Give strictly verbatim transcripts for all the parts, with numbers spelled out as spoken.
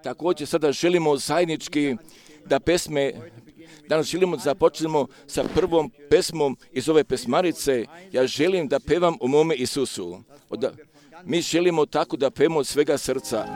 također sada želimo zajednički da pesme, danas želimo da započnemo sa prvom pesmom iz ove pesmarice. Ja želim da pevam o mome Isusu. Da, mi želimo tako da pevamo od svega srca.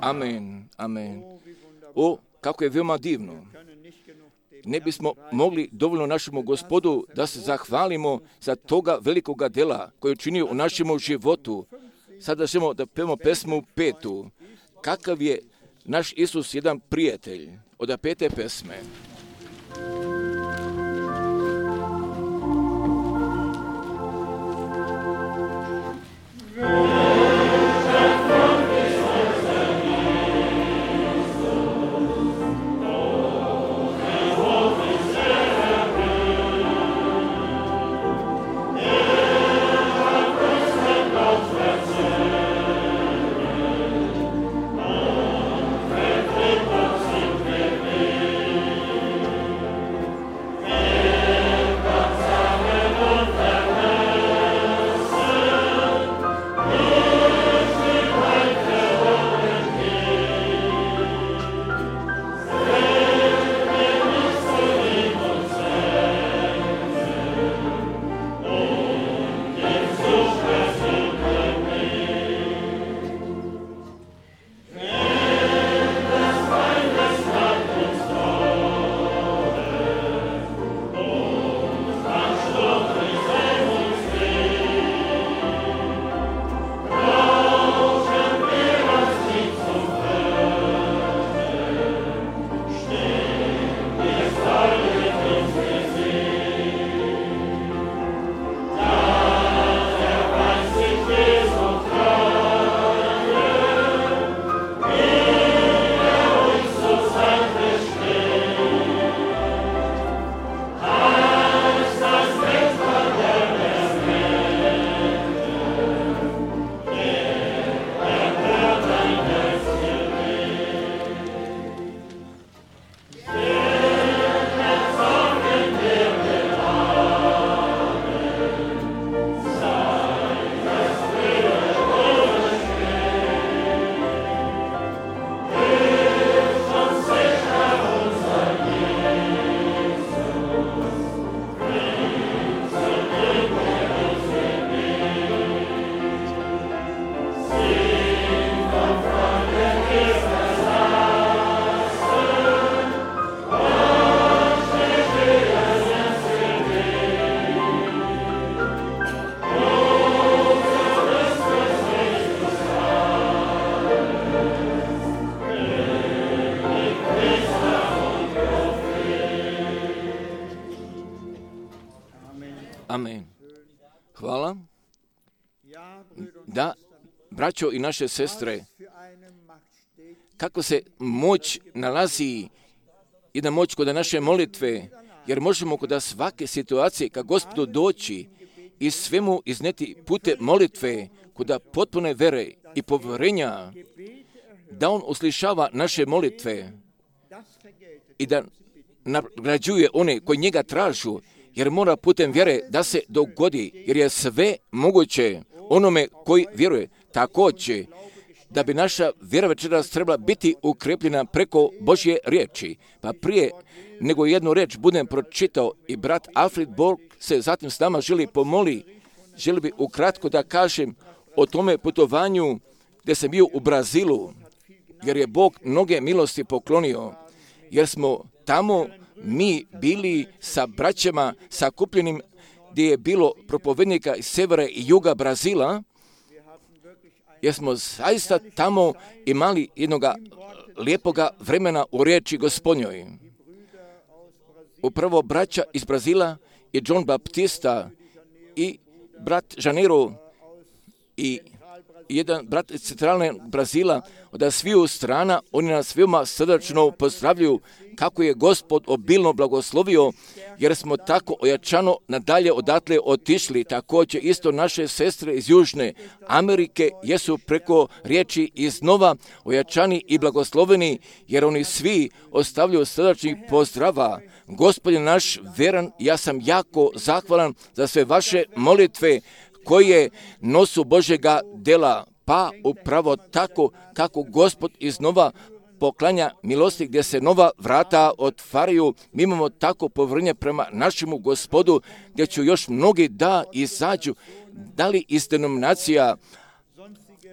Amen, amen. O, kako je veoma divno. Ne bismo mogli dovoljno našemu Gospodu da se zahvalimo za toga velikoga dela koje je učinio u našemu životu. Sada želimo da pevamo pesmu petu. Kakav je naš Isus jedan prijatelj, od pete pesme. da, braćo i naše sestre, kako se moć nalazi, jedna moć kod naše molitve, jer možemo kod svake situacije ka Gospodu doći i svemu izneti pute molitve, kod potpune vere i povjerenja, da On uslišava naše molitve i da nagrađuje one koji njega tražu, jer mora putem vjere da se dogodi, jer je sve moguće onome koji vjeruje. Također, da bi naša vjera večeras trebala biti ukrepljena preko Božje riječi. Pa prije nego jednu riječ budem pročitao i brat Alfred Borg se zatim s nama želi pomoli, želi bi ukratko da kažem o tome putovanju gdje sam bio u Brazilu, jer je Bog mnoge milosti poklonio, jer smo tamo mi bili sa braćama sakupljenim gdje je bilo propovednika iz severa i juga Brazila, jer smo zaista tamo imali jednog lijepoga vremena u riječi Gospodnjoj. Upravo braća iz Brazila i John Baptista i brat Janeiro i jedan brat iz centralne Brazila, od sviju strana, oni nas veoma srdačno pozdravljaju kako je Gospod obilno blagoslovio, jer smo tako ojačano nadalje odatle otišli. Također isto naše sestre iz Južne Amerike jesu preko riječi iznova ojačani i blagosloveni, jer oni svi ostavljaju srdačnih pozdrava. Gospodin naš veran, ja sam jako zahvalan za sve vaše molitve koje nosu Božjega dela, pa upravo tako kako Gospod iznova poklanja milosti gdje se nova vrata otvaraju. Mi imamo tako povjerenje prema našemu Gospodu gdje će još mnogi da izađu, da li iz denominacija,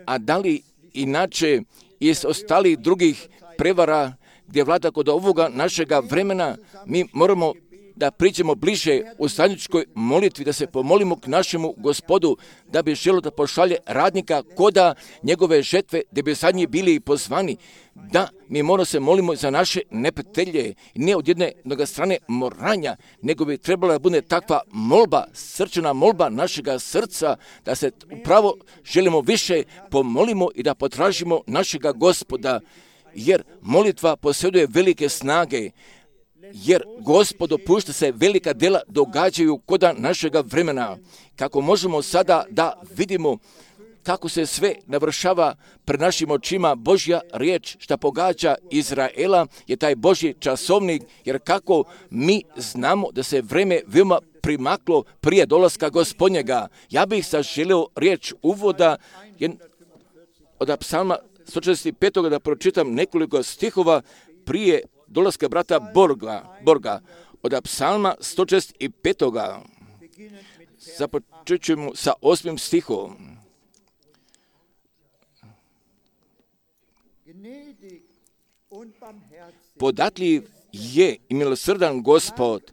a da li inače iz ostalih drugih prevara gdje vlada kod ovoga našega vremena. Mi moramo da priđemo bliže u zajedničkoj molitvi, da se pomolimo k našemu Gospodu, da bi želio da pošalje radnika koda njegove žetve, da bi zadnji bili pozvani. Da, mi moramo se molimo za naše neprijatelje, ne od jedne mnoga strane moranja, nego bi trebala da bude takva molba, srčana molba našega srca, da se upravo želimo više pomolimo i da potražimo našega Gospoda, jer molitva posjeduje velike snage, jer Gospod dopušta se velika dela događaju koda našega vremena. Kako možemo sada da vidimo kako se sve navršava pred našim očima Božja riječ, šta pogađa Izraela, je taj Božji časovnik, jer kako mi znamo da se vreme veoma primaklo prije dolaska Gospodnjega. Ja bih sad želio riječ uvoda od psalma sto četrdeset pet. da pročitam nekoliko stihova prije dolaska brata Borga, Borga od psalma sto četrdeset pet. Započet ćemo sa osmim stihom. Podatljiv je i milosrdan Gospod,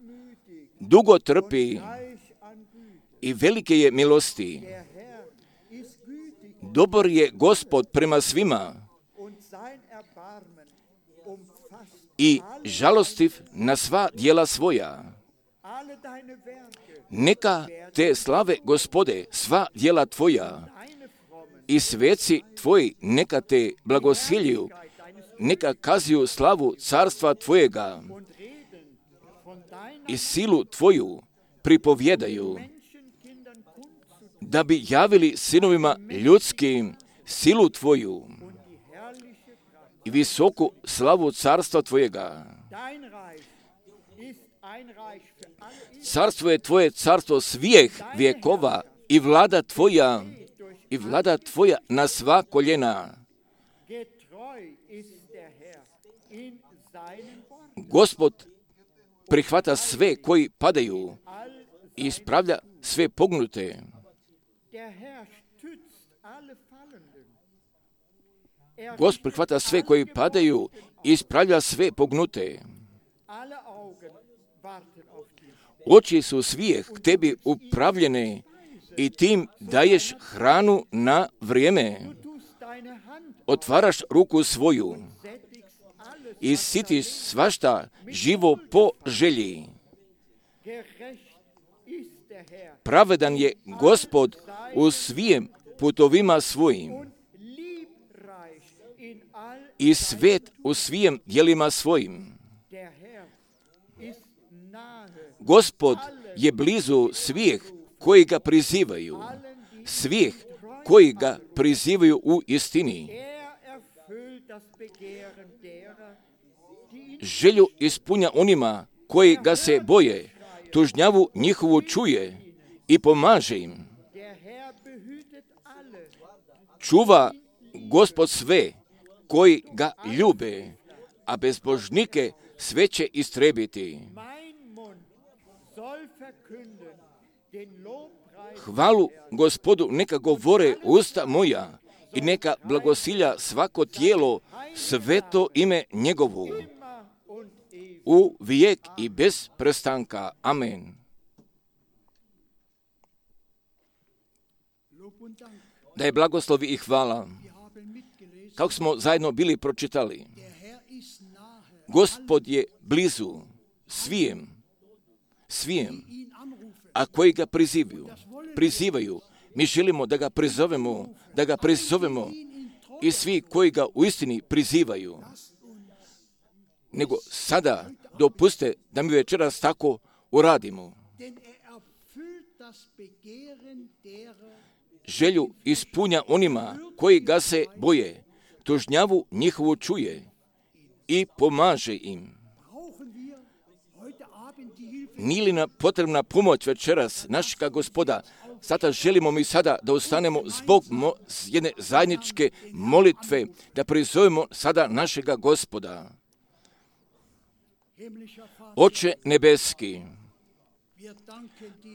dugo trpi i velike je milosti. Dobar je Gospod prema svima i žalostiv na sva djela svoja. Neka te slave, Gospode, sva djela tvoja i sveci tvoji neka te blagosiljuju, neka kazuju slavu carstva tvojega i silu tvoju pripovjedaju, da bi javili sinovima ljudskim silu tvoju i visoku slavu carstva tvojega. Carstvo je tvoje carstvo svih vjekova i vlada tvoja i vlada tvoja na sva koljena. Gospod prihvata sve koji padaju i ispravlja sve pognute. Gospod prihvata sve koji padaju i ispravlja sve pognute. Oči su svih k tebi upravljene i tim daješ hranu na vrijeme. Otvaraš ruku svoju i sitiš svašta živo po želji. Pravedan je Gospod u svijem putovima svojim i svet u svim djelima svojim. Gospod je blizu svih koji ga prizivaju, svih koji ga prizivaju u istini. Želju ispunja onima koji ga se boje, tužnjavu njihovu čuje i pomaže im. Čuva Gospod sve koji ga ljube, a bezbožnike sve će istrebiti. Hvalu Gospodu neka govore usta moja i neka blagosilja svako tijelo sveto ime njegovu. U vijek i bez prestanka. Amen. Da je blagoslovi i hvala. Kako smo zajedno bili pročitali, Gospod je blizu svijem, svijem, a koji ga prizivaju, prizivaju. Mi želimo da ga prizovemo, da ga prizovemo i svi koji ga u istini prizivaju. Nego sada dopuste da mi večeras tako uradimo. Želju ispunja onima koji ga se boje, tužnjavu njihovu čuje i pomaže im. Nije li nam potrebna pomoć večeras našega Gospoda? Sada želimo mi sada da ustanemo zbog mo- jedne zajedničke molitve, da prizovemo sada našega Gospoda. Oče nebeski,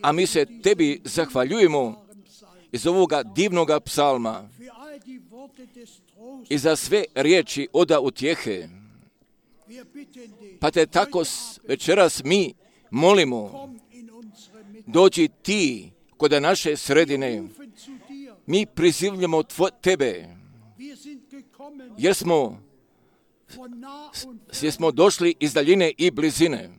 a mi se tebi zahvaljujemo iz ovoga divnoga psalma i za sve riječi oda utjehe. Pa te tako večeras mi molimo, dođi ti kod naše sredine. Mi prizivljamo tvo, tebe, jer smo, jer smo došli iz daljine i blizine.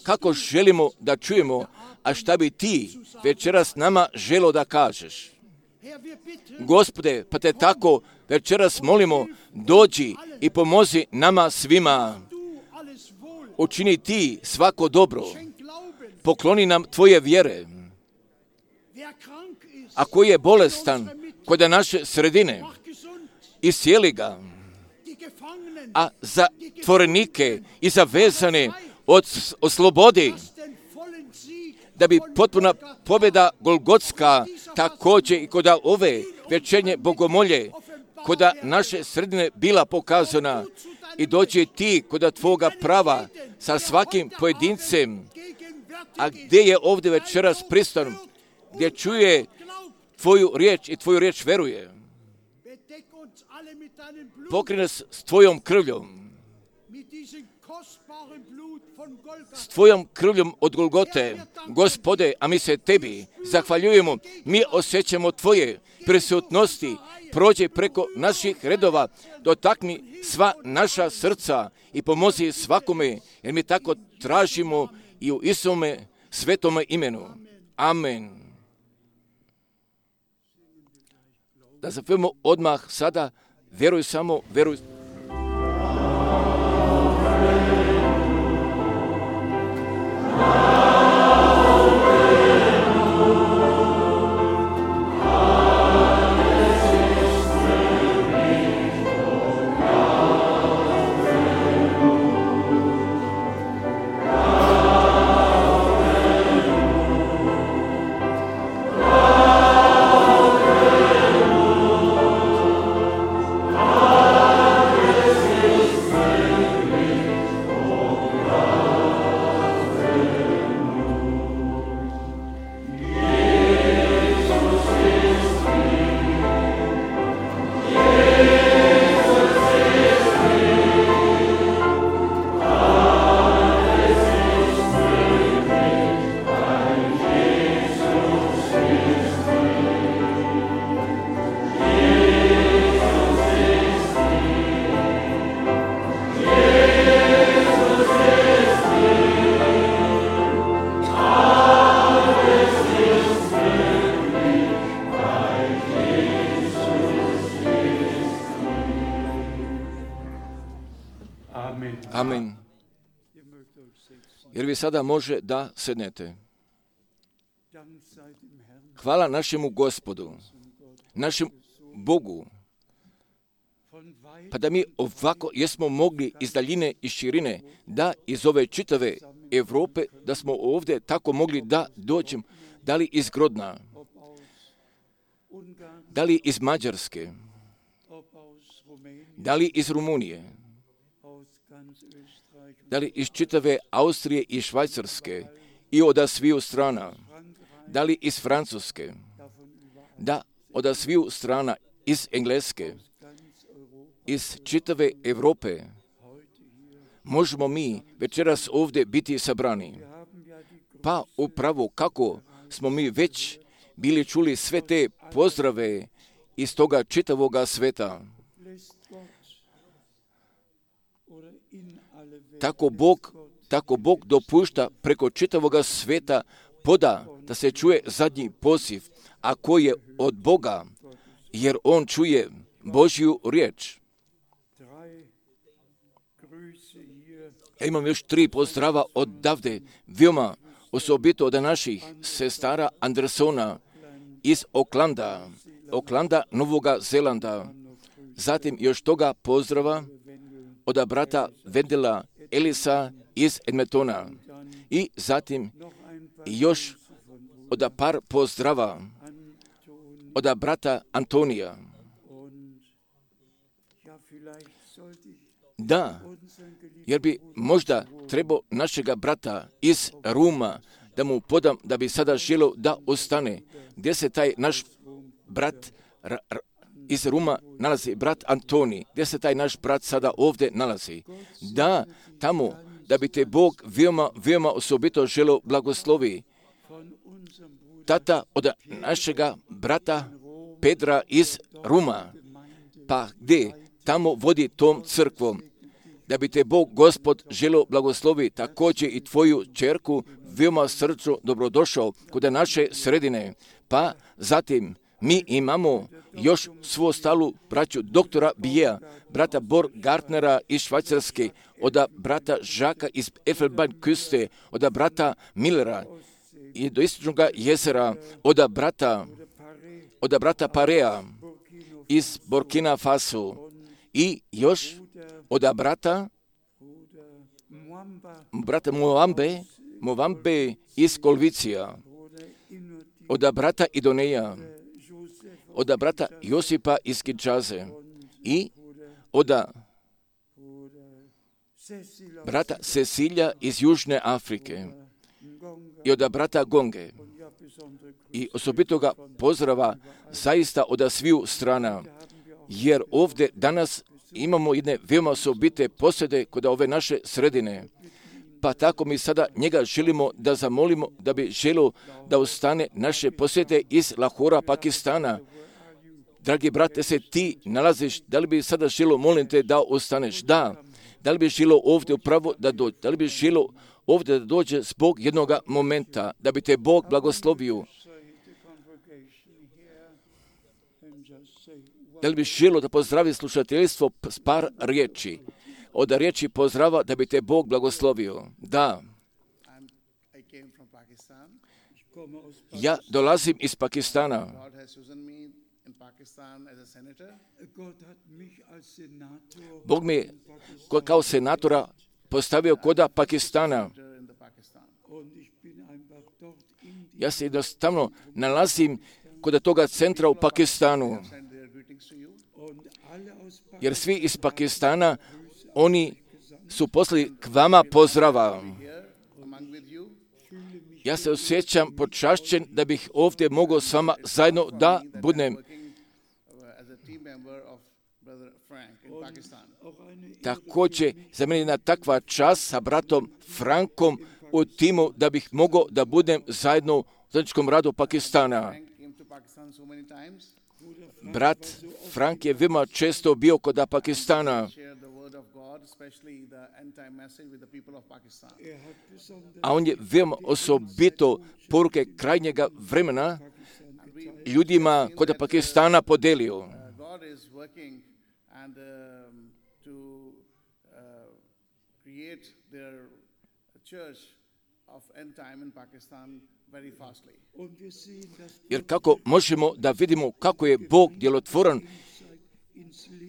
Kako želimo da čujemo, a šta bi ti večeras nama želo da kažeš? Gospode, pa te tako večeras molimo, dođi i pomozi nama svima. Učini ti svako dobro. Pokloni nam tvoje vjere. A koji je bolestan kod naše sredine, iscijeli ga. A za zatvorenike i za vezane od, oslobodi, da bi potpuna pobjeda Golgotska također i kod ove večernje bogomolje kod naše sredine bila pokazana, i dođe ti kod tvoga prava sa svakim pojedincem, a gdje je ovdje večeras prisutan, gdje čuje tvoju riječ i tvoju riječ veruje. Pokri nas s tvojom krvljom, s tvojom krvljom od Golgote, Gospode, a mi se tebi zahvaljujemo. Mi osjećamo tvoje prisutnosti, prođe preko naših redova, dotakni sva naša srca i pomozi svakome, jer mi tako tražimo i u Isome svetome imenu. Amen. Da zapevamo odmah sada, vjeruj samo, vjeruj. Alleluia. Amen. Jer vi sada može da sednete. Hvala našemu Gospodu, našem Bogu, pa da mi ovako jesmo mogli iz daljine i širine, da iz ove čitave Europe, da smo ovdje tako mogli da dođem, da li iz Grodna, da li iz Mađarske, da li iz Rumunije, da li iz čitave Austrije i Švajcarske i od sviju strana, da li iz Francuske, da od sviju strana iz Engleske, iz čitave Europe, možemo mi večeras ovdje biti sabrani. Pa upravo kako smo mi već bili čuli sve te pozdrave iz toga čitavoga sveta. Tako Bog, tako Bog dopušta preko čitavoga sveta poda da se čuje zadnji poziv, a koji je od Boga, jer On čuje Božju riječ. Ja imam još tri pozdrava odavde, veoma osobito od naših sestara Andersona iz Oklanda, Oklanda, Novoga Zelanda. Zatim još toga pozdrava od brata Vendela Elisa iz Edmontona. I zatim još od par pozdrava od brata Antonija. Da, jer bi možda trebao našega brata iz Ruma da mu podam, da bi sada želio da ostane. Gdje se taj naš brat r- r- iz Ruma nalazi, brat Antoni, gdje se taj naš brat sada ovdje nalazi? Da, tamo, da bi te Bog veoma, veoma osobito želio blagoslovi. Tata od našega brata Pedra iz Ruma, pa gdje? Tamo vodi tom crkvom, da bi te Bog Gospod želio blagoslovi također i tvoju čerku veoma srčno dobrodošao kod naše sredine. Pa zatim mi imamo još svu ostalu braću doktora Bijeja, brata Bor Gartnera iz Švajcarske, od brata Žaka iz Elfenbeinküste, od brata Millera i do Istočnog jezera, od brata, od brata Parea iz Burkina Faso. I još od brata, brata Moambe, Moambe iz Kolvicija, od brata Idoneja, od brata Josipa iz Kinshase i od brata Cecilija iz Južne Afrike i od brata Gonge. I osobitoga pozdrava zaista od sviju strana, jer ovdje danas imamo jedne veoma osobite posjede kod ove naše sredine. Pa tako mi sada njega želimo da zamolimo da bi želio da ostane naše posjete iz Lahora, Pakistana. Dragi brate, se ti nalaziš, da li bi sada želio, molim te, da ostaneš? Da. Da li bi želio ovdje upravo da dođe? Da li bi želio ovdje da dođe zbog jednog momenta, da bi te Bog blagoslovio? Da li bi želio da pozdravi slušateljstvo s par riječi? Od riječi pozdrava da bi te Bog blagoslovio. Da. Ja dolazim iz Pakistana. Bog mi kao senatora postavio koda Pakistana. Ja se jednostavno nalazim kod toga centra u Pakistanu. Jer svi iz Pakistana, oni su poslali k vama pozdrava. Ja se osjećam počašćen da bih ovdje mogao s vama zajedno da budem. Također, za mene je jedna takva čast sa bratom Frankom u timu da bih mogao da budem zajedno u zajedničkom radu Pakistana. Brat Frank je veoma često bio kod Pakistana, a on je veoma osobito poruke krajnjega vremena ljudima kod Pakistana podelio. Jer kako možemo da vidimo kako je Bog djelotvoran,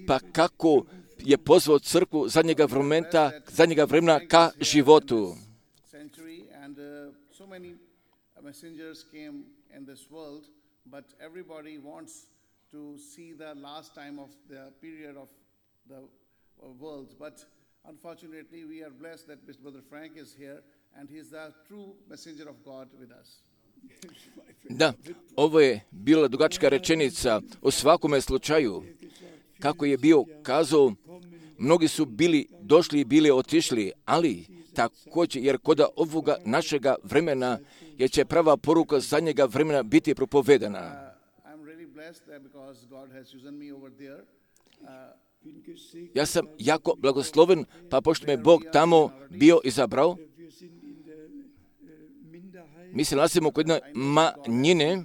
pa kako je pozvao crkvu zadnjega vremena, zadnjega vremena ka životu. But everybody wants to see the last time of the period of the world. But unfortunately, we are blessed that Mister Brother Frank is here, and he is the true messenger of God with us. Da, ovo je bila dugačka rečenica o svakome slučaju. Kako je bio kazao, mnogi su bili došli i bili otišli, ali također, jer kod ovoga našega vremena jer će prava poruka zadnjega vremena biti propovedana. Ja sam jako blagosloven, pa pošto me Bog tamo bio izabrao, mi se nalazimo kod jedne manjine,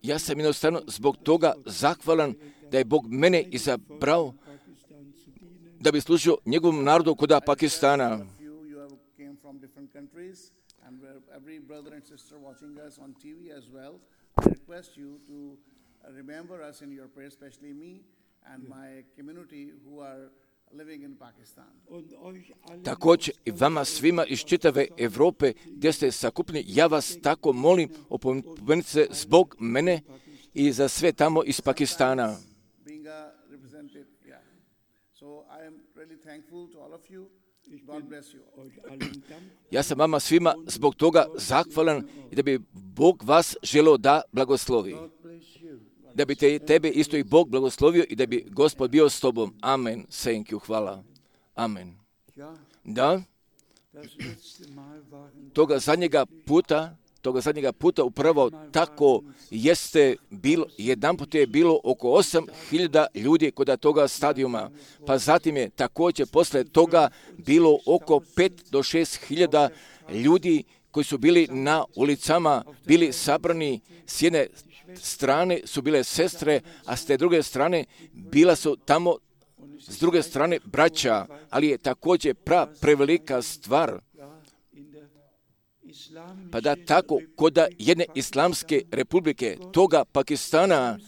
ja sam jednostavno zbog toga zahvalan da je Bog mene izabrao da bi služio njegovom narodu kod Pakistana. Također i vama svima iz čitave Europe gdje ste sakupljeni, ja vas tako molim, opomenite se zbog mene i za sve tamo iz Pakistana. Ja sam vama svima zbog toga zahvalan i da bi Bog vas želio da blagoslovi. Da bi te, tebe isto i Bog blagoslovio i da bi Gospod bio s tobom. Amen. Thank you. Hvala. Amen. Da. Toga zadnjega puta, toga zadnjega puta upravo tako jeste bilo, jedan put je bilo oko osam hiljada ljudi kod toga stadijuma. Pa zatim je također posle toga bilo oko pet do šest hiljada ljudi koji su bili na ulicama, bili sabrani s jedne strane su bile sestre, a s te druge strane bila su tamo s druge strane braća, ali je također pra prevelika stvar. Pa da tako kod jedne islamske republike, toga Pakistana,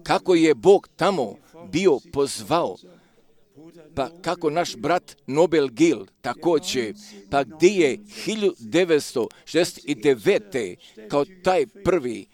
kako je Bog tamo bio pozvao, pa kako naš brat Nobel Gil također, pa gdje je hiljadu devetsto šezdeset devete kao taj prvi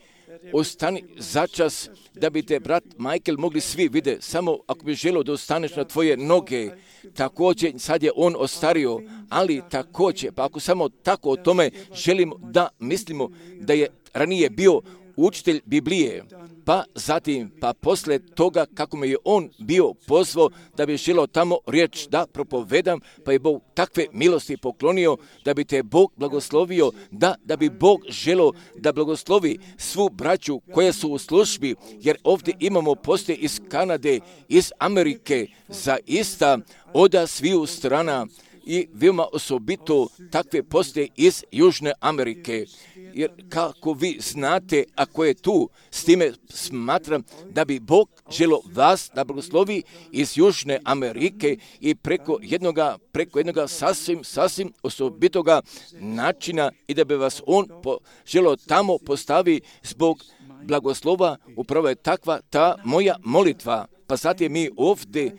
ostani začas da bi te brat Michael mogli svi vidjeti, samo ako bi želio da ostaneš na tvoje noge. Također sad je on ostario, ali također, pa ako samo tako o tome želimo da mislimo da je ranije bio učitelj Biblije, pa zatim, pa posle toga kako me je on bio pozvao da bi želio tamo riječ da propovedam, pa je Bog takve milosti poklonio da bi te Bog blagoslovio, da, da bi Bog želio da blagoslovi svu braću koja su u službi, jer ovdje imamo poslije iz Kanade, iz Amerike, zaista oda sviju strana i veoma osobito takve poslije iz Južne Amerike. Jer kako vi znate, ako je tu, s time smatram da bi Bog želio vas da blagoslovi iz Južne Amerike i preko jednoga, preko jednoga sasvim, sasvim osobitoga načina i da bi vas on po, želio tamo postavi zbog blagoslova. Upravo je takva ta moja molitva. Pa zatim mi ovdje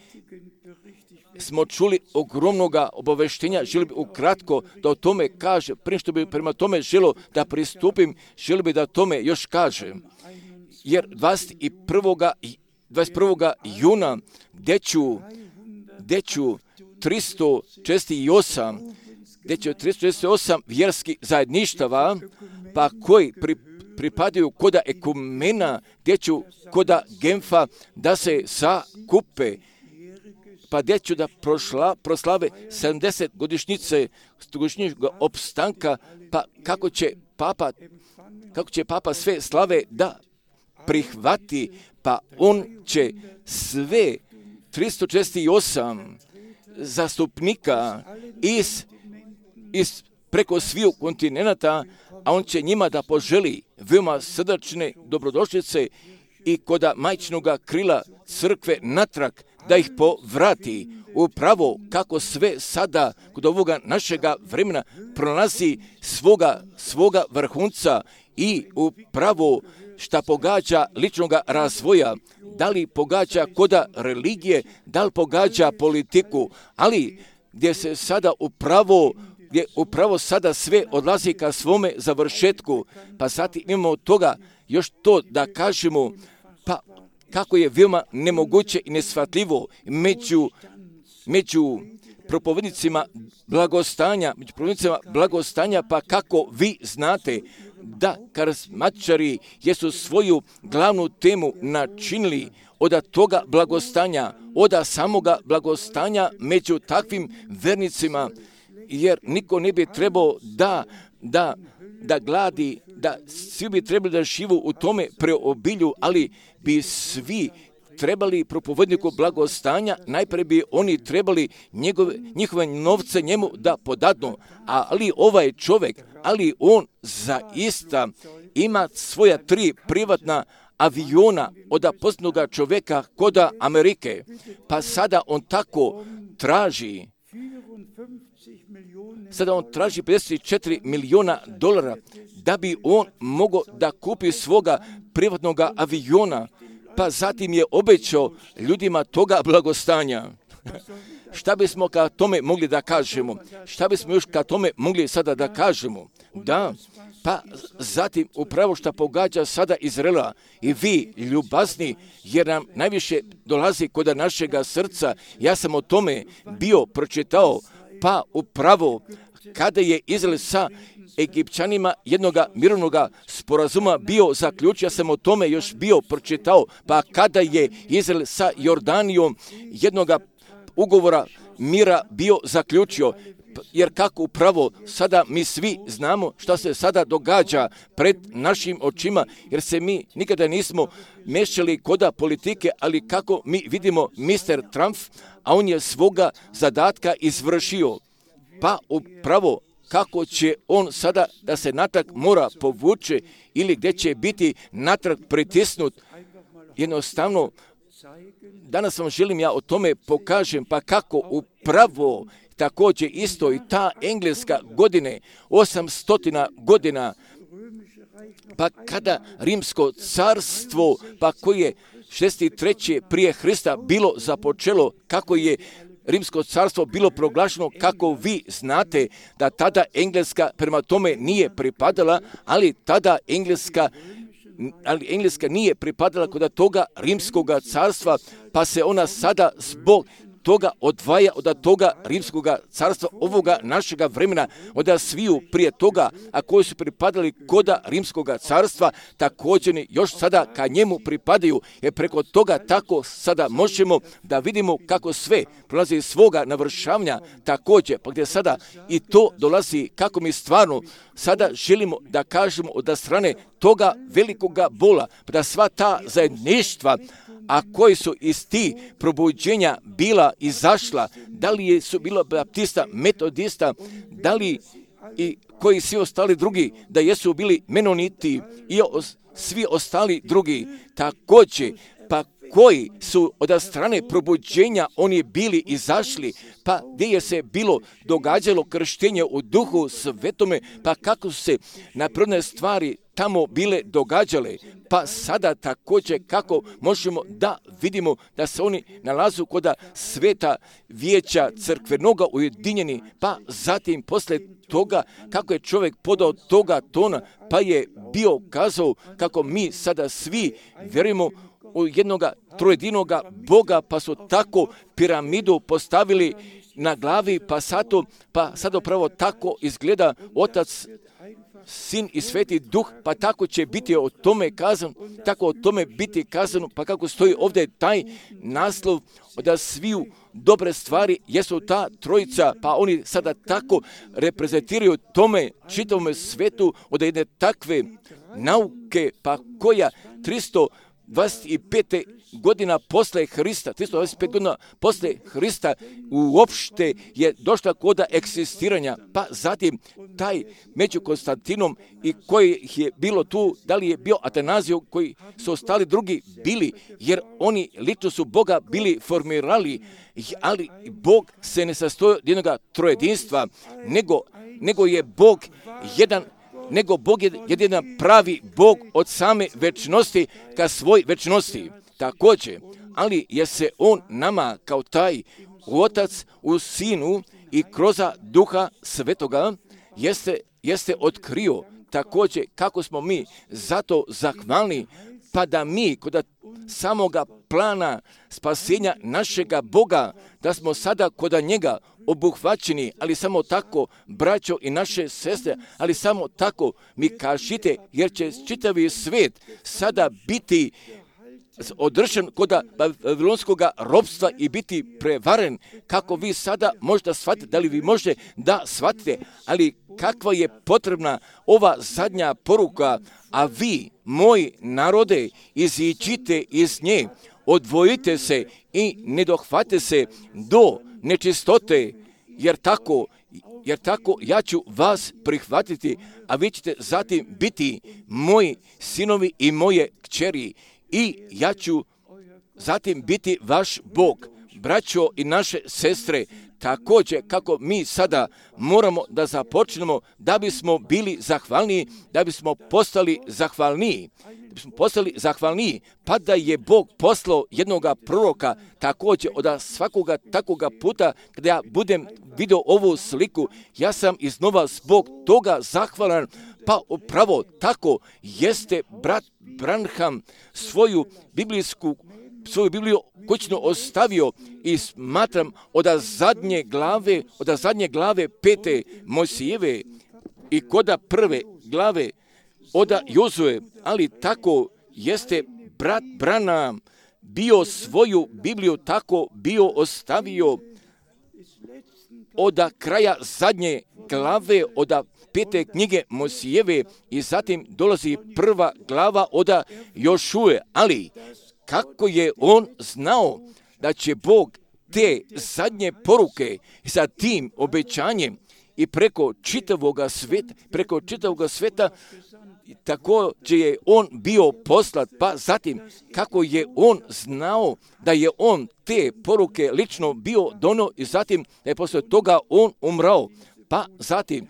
smo čuli ogromnoga obaveštenja, želim bi ukratko da o tome kaže, prije što bi prema tome želio da pristupim, želim bi da o tome još kažem. Jer dvadeset prvog juna deću, deću tristo četrdeset osam, deću tristo četrdeset osam vjerskih zajedništava, pa koji pri, pripadaju koda ekumena, deću koda Genfa, da se sakupe, pa gdje ću da prošla, proslave sedamdeset godišnjice godišnjega opstanka, pa kako će papa, kako će papa sve slave da prihvati, pa on će sve tristo četrdeset osam zastupnika iz, iz preko sviju kontinenta, a on će njima da poželi veoma srdačne dobrodošlice i koda majčinoga krila crkve natrag, da ih povrati upravo kako sve sada kod ovoga našega vremena pronalazi svoga, svoga vrhunca i upravo šta pogađa ličnoga razvoja, da li pogađa koda religije, da li pogađa politiku, ali gdje se sada upravo gdje upravo sada sve odlazi ka svome završetku, pa zatim imamo od toga još to da kažemo, pa kako je veoma nemoguće i nesvatljivo među, među propovednicima blagostanja, među propovednicima blagostanja, pa kako vi znate da karizmatičari jesu svoju glavnu temu načinili od toga blagostanja, od samoga blagostanja među takvim vernicima, jer niko ne bi trebao da, da, da gladi, da svi bi trebali da živu u tome preobilju, ali bi svi trebali propovedniku blagostanja, najprije bi oni trebali njegove, njihove novce njemu da podadnu, ali ovaj čovjek, ali on zaista ima svoja tri privatna aviona od poznatoga čovjeka koda Amerike, pa sada on tako traži Sada on traži pedeset četiri miliona dolara da bi on mogao da kupi svoga privatnog aviona, pa zatim je obećao ljudima toga blagostanja. Šta bismo ka tome mogli da kažemo? Šta bismo još ka tome mogli sada da kažemo? Da, pa zatim upravo šta pogađa sada Izraela i vi ljubazni, jer nam najviše dolazi kod našega srca. Ja sam o tome bio pročitao, pa upravo kada je Izrael sa Egipćanima jednoga mirovnog sporazuma bio zaključio, ja sam o tome još bio pročitao, pa kada je Izrael sa Jordanijom jednoga ugovora mira bio zaključio, jer kako upravo sada mi svi znamo šta se sada događa pred našim očima, jer se mi nikada nismo mešali koda politike, ali kako mi vidimo mister Trump, a on je svoga zadatka izvršio, pa upravo kako će on sada da se natrag mora povuče ili gdje će biti natrag pritisnut. Jednostavno, danas vam želim ja o tome pokažem, pa kako upravo također isto i ta engleska godine, osamstotina godina, pa kada rimsko carstvo, pa koje je šezdeset treće prije Hrista bilo započelo, kako je rimsko carstvo bilo proglašeno, kako vi znate da tada Engleska prema tome nije pripadala, ali tada Engleska ali Engleska nije pripadala kod toga rimskog carstva, pa se ona sada zbog toga odvaja od toga rimskog carstva ovoga našega vremena, od sviju prije toga, a koji su pripadali koda rimskog carstva, također još sada ka njemu pripadaju, jer preko toga tako sada možemo da vidimo kako sve prolazi iz svoga navršavanja također, pa gdje sada i to dolazi kako mi stvarno sada želimo da kažemo od strane toga velikoga bola, da sva ta zajedništva, a koji su iz ti probuđenja bila izašla, da li su bilo baptista, metodista, da li i koji svi ostali drugi, da jesu bili menoniti i os, svi ostali drugi, također, pa koji su od strane probuđenja oni bili izašli, pa gdje je se bilo događalo krštenje u duhu svetome, pa kako su se napredne stvari tamo bile događale, pa sada također kako možemo da vidimo da se oni nalazu kod sveta vijeća crkvenoga ujedinjeni, pa zatim poslije toga kako je čovjek podao toga tona, pa je bio kazao kako mi sada svi vjerujemo u jednoga trojedinoga Boga, pa su tako piramidu postavili na glavi, pa sad, pa sad upravo tako izgleda Otac, Sin i Sveti Duh, pa tako će biti o tome kazano, tako o tome biti kazano, pa kako stoji ovdje taj naslov da sviju dobre stvari jesu ta trojica, pa oni sada tako reprezentiraju tome čitavome svetu od jedne takve nauke, pa koja tristo dvadeset pet godina posle Hrista, tristo dvadeset pet godina posle Hrista uopšte je došla koda eksistiranja, pa zatim taj među Konstantinom i koji je bilo tu, da li je bio Atanazio, koji su ostali drugi bili, jer oni lično su Boga bili formirali, ali Bog se ne sastoji od jednog trojedinstva, nego, nego je Bog jedan nego Bog je jedan pravi Bog od same večnosti ka svoj večnosti. Također, ali je se On nama kao taj Otac u Sinu i kroz Duha Svetoga jeste, jeste otkrio također kako smo mi zato zahvalni, pa da mi kod samoga plana spasenja našega Boga, da smo sada kod njega obuhvaćeni, ali samo tako, braćo i naše sestre, ali samo tako mi kažite, jer će čitavi svijet sada biti održan kod babilonskog ropstva i biti prevaren, kako vi sada možda shvatite, da li vi možete da shvatite, ali kakva je potrebna ova zadnja poruka, a vi, moji narode, iziđite iz nje, odvojite se i ne dohvate se do nečistote, jer tako, jer tako ja ću vas prihvatiti, a vi ćete zatim biti moji sinovi i moje kćeri i ja ću zatim biti vaš Bog. Braćo i naše sestre, također kako mi sada moramo da započnemo da bismo bili zahvalniji, da bismo postali zahvalniji, da bismo postali zahvalniji, pa da je Bog poslao jednoga proroka također od svakoga takoga puta kada ja budem vidio ovu sliku, ja sam iznova zbog toga zahvalan, pa upravo tako jeste brat Branham svoju biblijsku svoju Bibliju kućno ostavio i smatram od zadnje glave, od zadnje glave pete Mojsijeve i koda prve glave od Jozue, ali tako jeste brat Branham bio svoju Bibliju tako bio ostavio od kraja zadnje glave od pete knjige Mojsijeve i zatim dolazi prva glava od Jošue, ali kako je on znao da će Bog te zadnje poruke sa tim obećanjem i preko čitavog sveta, preko čitavog sveta, također je on bio poslat, pa zatim kako je on znao da je on te poruke lično bio donio i zatim da je posle toga on umrao, pa zatim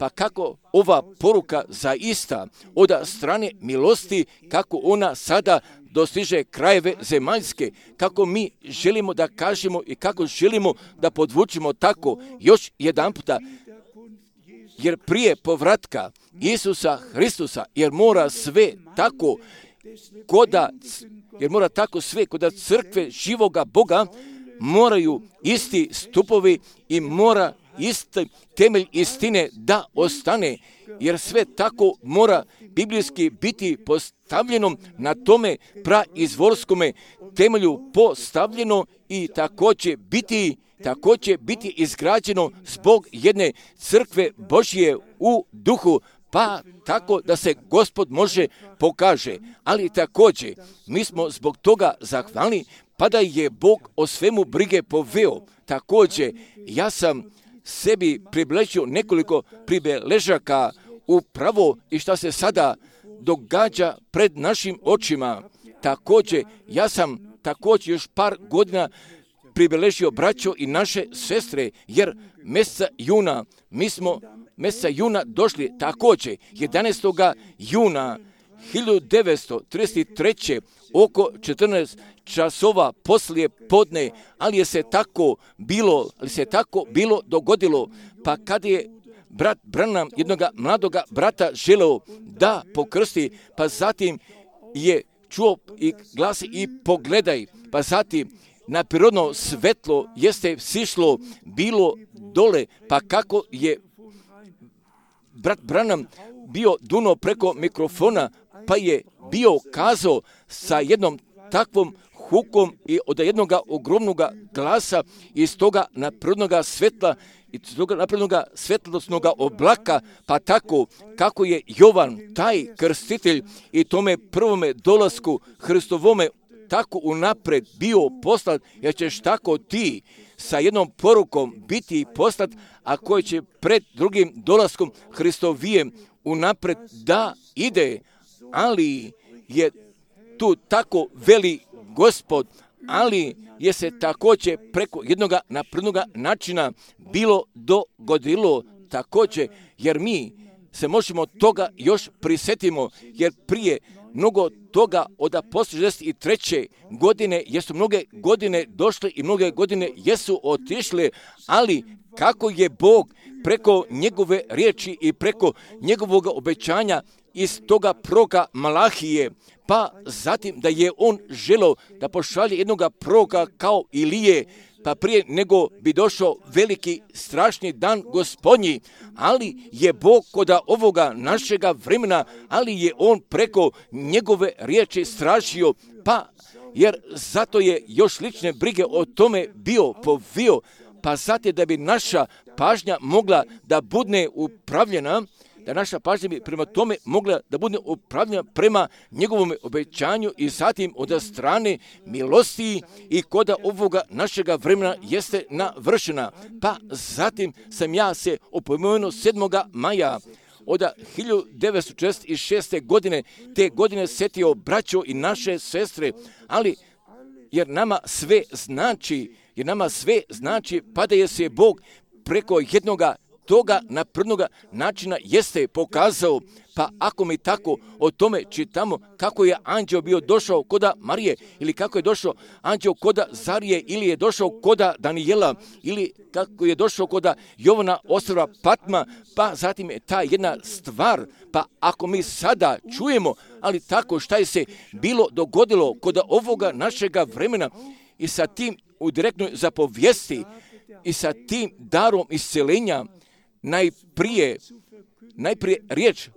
pa kako ova poruka zaista od strane milosti, kako ona sada dostiže krajeve zemaljske, kako mi želimo da kažemo i kako želimo da podvučimo tako još jedan puta, jer prije povratka Isusa Hristusa, jer mora sve tako koda, jer mora tako sve koda crkve živoga Boga, moraju isti stupovi i mora isti temelj istine da ostane, jer sve tako mora biblijski biti postavljeno na tome praizvorskome temelju postavljeno i također biti, također biti izgrađeno zbog jedne crkve Božje u duhu, pa tako da se Gospod može pokaže. Ali također mi smo zbog toga zahvalni, pa da je Bog o svemu brige poveo. Također ja sam sebi približio nekoliko pribeležaka upravo i šta se sada događa pred našim očima. Također, ja sam također još par godina pribeležio braćo i naše sestre, jer mjeseca juna, mi smo mjeseca juna došli također, jedanaestog juna hiljadu devetsto trideset treće oko četrnaest časova poslije podne, ali je se tako bilo, ali se tako bilo dogodilo, pa kad je brat Branham jednoga mladoga brata želeo da pokrsti, pa zatim je čuo i glasi i pogledaj, pa zatim na prirodno svetlo jeste sišlo bilo dole, pa kako je brat Branham bio duno preko mikrofona, pa je bio kazao sa jednom takvom hukom i od jednog ogromnog glasa iz toga naprirodnog svetla i toga napravljenoga svjetlosnog oblaka, pa tako kako je Jovan, taj krstitelj, i tome prvome dolasku Hristovome tako unapred bio poslat, jer ćeš tako ti sa jednom porukom biti poslat, a koji će pred drugim dolaskom Hristovijem unapred da ide, ali je tu tako veli Gospod, ali je se također preko jednoga naprednoga načina bilo dogodilo također, jer mi se možemo toga još prisjetimo, jer prije mnogo toga od šezdeset treće godine jesu mnoge godine došle i mnoge godine jesu otišle, ali kako je Bog preko njegove riječi i preko njegovog obećanja iz toga proroka Malahije, pa zatim da je on želeo da pošalje jednoga proroka kao Ilije, pa prije nego bi došao veliki strašni dan Gospodnji, ali je Bog kod ovoga našega vremena, ali je on preko njegove riječi stražio, pa jer zato je još lične brige o tome bio povio, pa zato da bi naša pažnja mogla da bude upravljena, da naša pažnja bi prema tome mogla da bude upravljena prema njegovom obećanju i zatim od strane milosti i kod ovoga našega vremena jeste navršena. Pa zatim sam ja se opomenuo sedmoga maja od hiljadu devetsto četrdeset šeste. godine, te godine setio braćo i naše sestre, ali jer nama sve znači, jer nama sve znači, pa da je se Bog preko jednoga toga naprednoga načina jeste pokazao, pa ako mi tako o tome čitamo kako je anđeo bio došao koda Marije, ili kako je došao anđeo koda Zarije, ili je došao koda Danijela, ili kako je došao koda Jovana ostrva Patma, pa zatim je ta jedna stvar, pa ako mi sada čujemo, ali tako šta je se bilo dogodilo kod ovoga našega vremena i sa tim u direktnoj zapovijesti i sa tim darom isceljenja, najprije, najprije riječ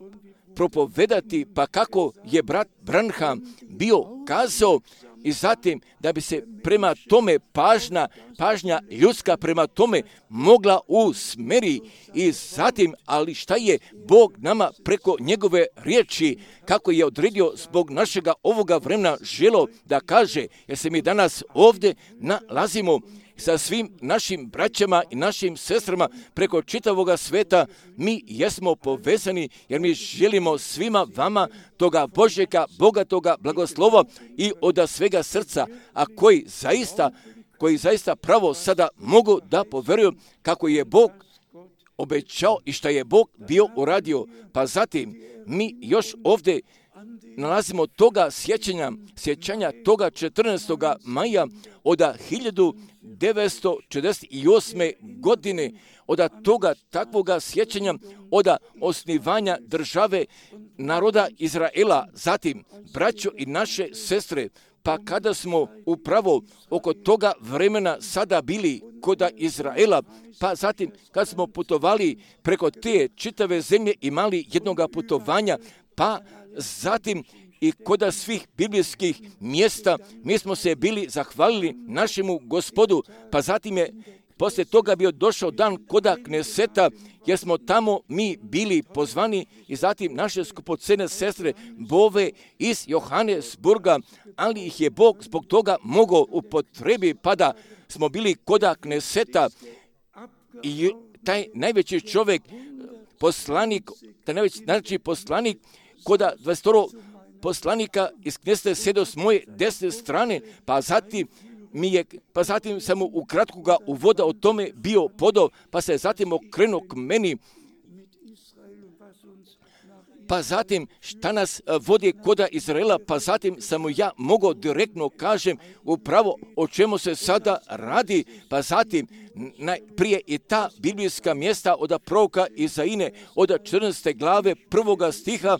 propovedati, pa kako je brat Branham bio kazao, i zatim da bi se prema tome pažnja, pažnja ljudska prema tome mogla usmeri, i zatim, ali šta je Bog nama preko njegove riječi, kako je odredio zbog našega ovoga vremena želo da kaže, jer se mi danas ovdje nalazimo sa svim našim braćama i našim sestrama preko čitavoga sveta, mi jesmo povezani, jer mi želimo svima vama toga Božjega, bogatoga blagoslova i od svega srca, a koji zaista, koji zaista pravo sada mogu da poveruju kako je Bog obećao i šta je Bog bio uradio. Pa zatim mi još ovdje nalazimo toga sjećanja, sjećanja toga četrnaestoga maja od hiljadu devetsto četrdeset osme. godine, od toga takvoga sjećanja, od osnivanja države naroda Izraela, zatim braćo i naše sestre, pa kada smo upravo oko toga vremena sada bili kod Izraela, pa zatim kad smo putovali preko te čitave zemlje, imali jednoga putovanja, pa zatim i kod svih biblijskih mjesta mi smo se bili zahvalili našemu Gospodu, pa zatim je poslije toga bio došao dan koda Kneseta, jer smo tamo mi bili pozvani, i zatim naše skupocene sestre Bove iz Johannesburga, ali ih je Bog zbog toga mogao upotrebi, pa da smo bili koda Kneseta, i taj najveći čovjek, poslanik, taj najveći znači poslanik, koda dvadeset poslanika iz Kneseta sjedio s moje desne strane, pa zatim mi je, pa zatim sam mu ukratko ga uvoda o tome bio podao, pa se zatim okrenuo k meni, pa zatim šta nas vodi koda Izraela, pa zatim sam mu ja mogao direktno kažem upravo o čemu se sada radi, pa zatim najprije i ta biblijska mjesta od proroka Izaine od četrnaeste glave prvoga stiha,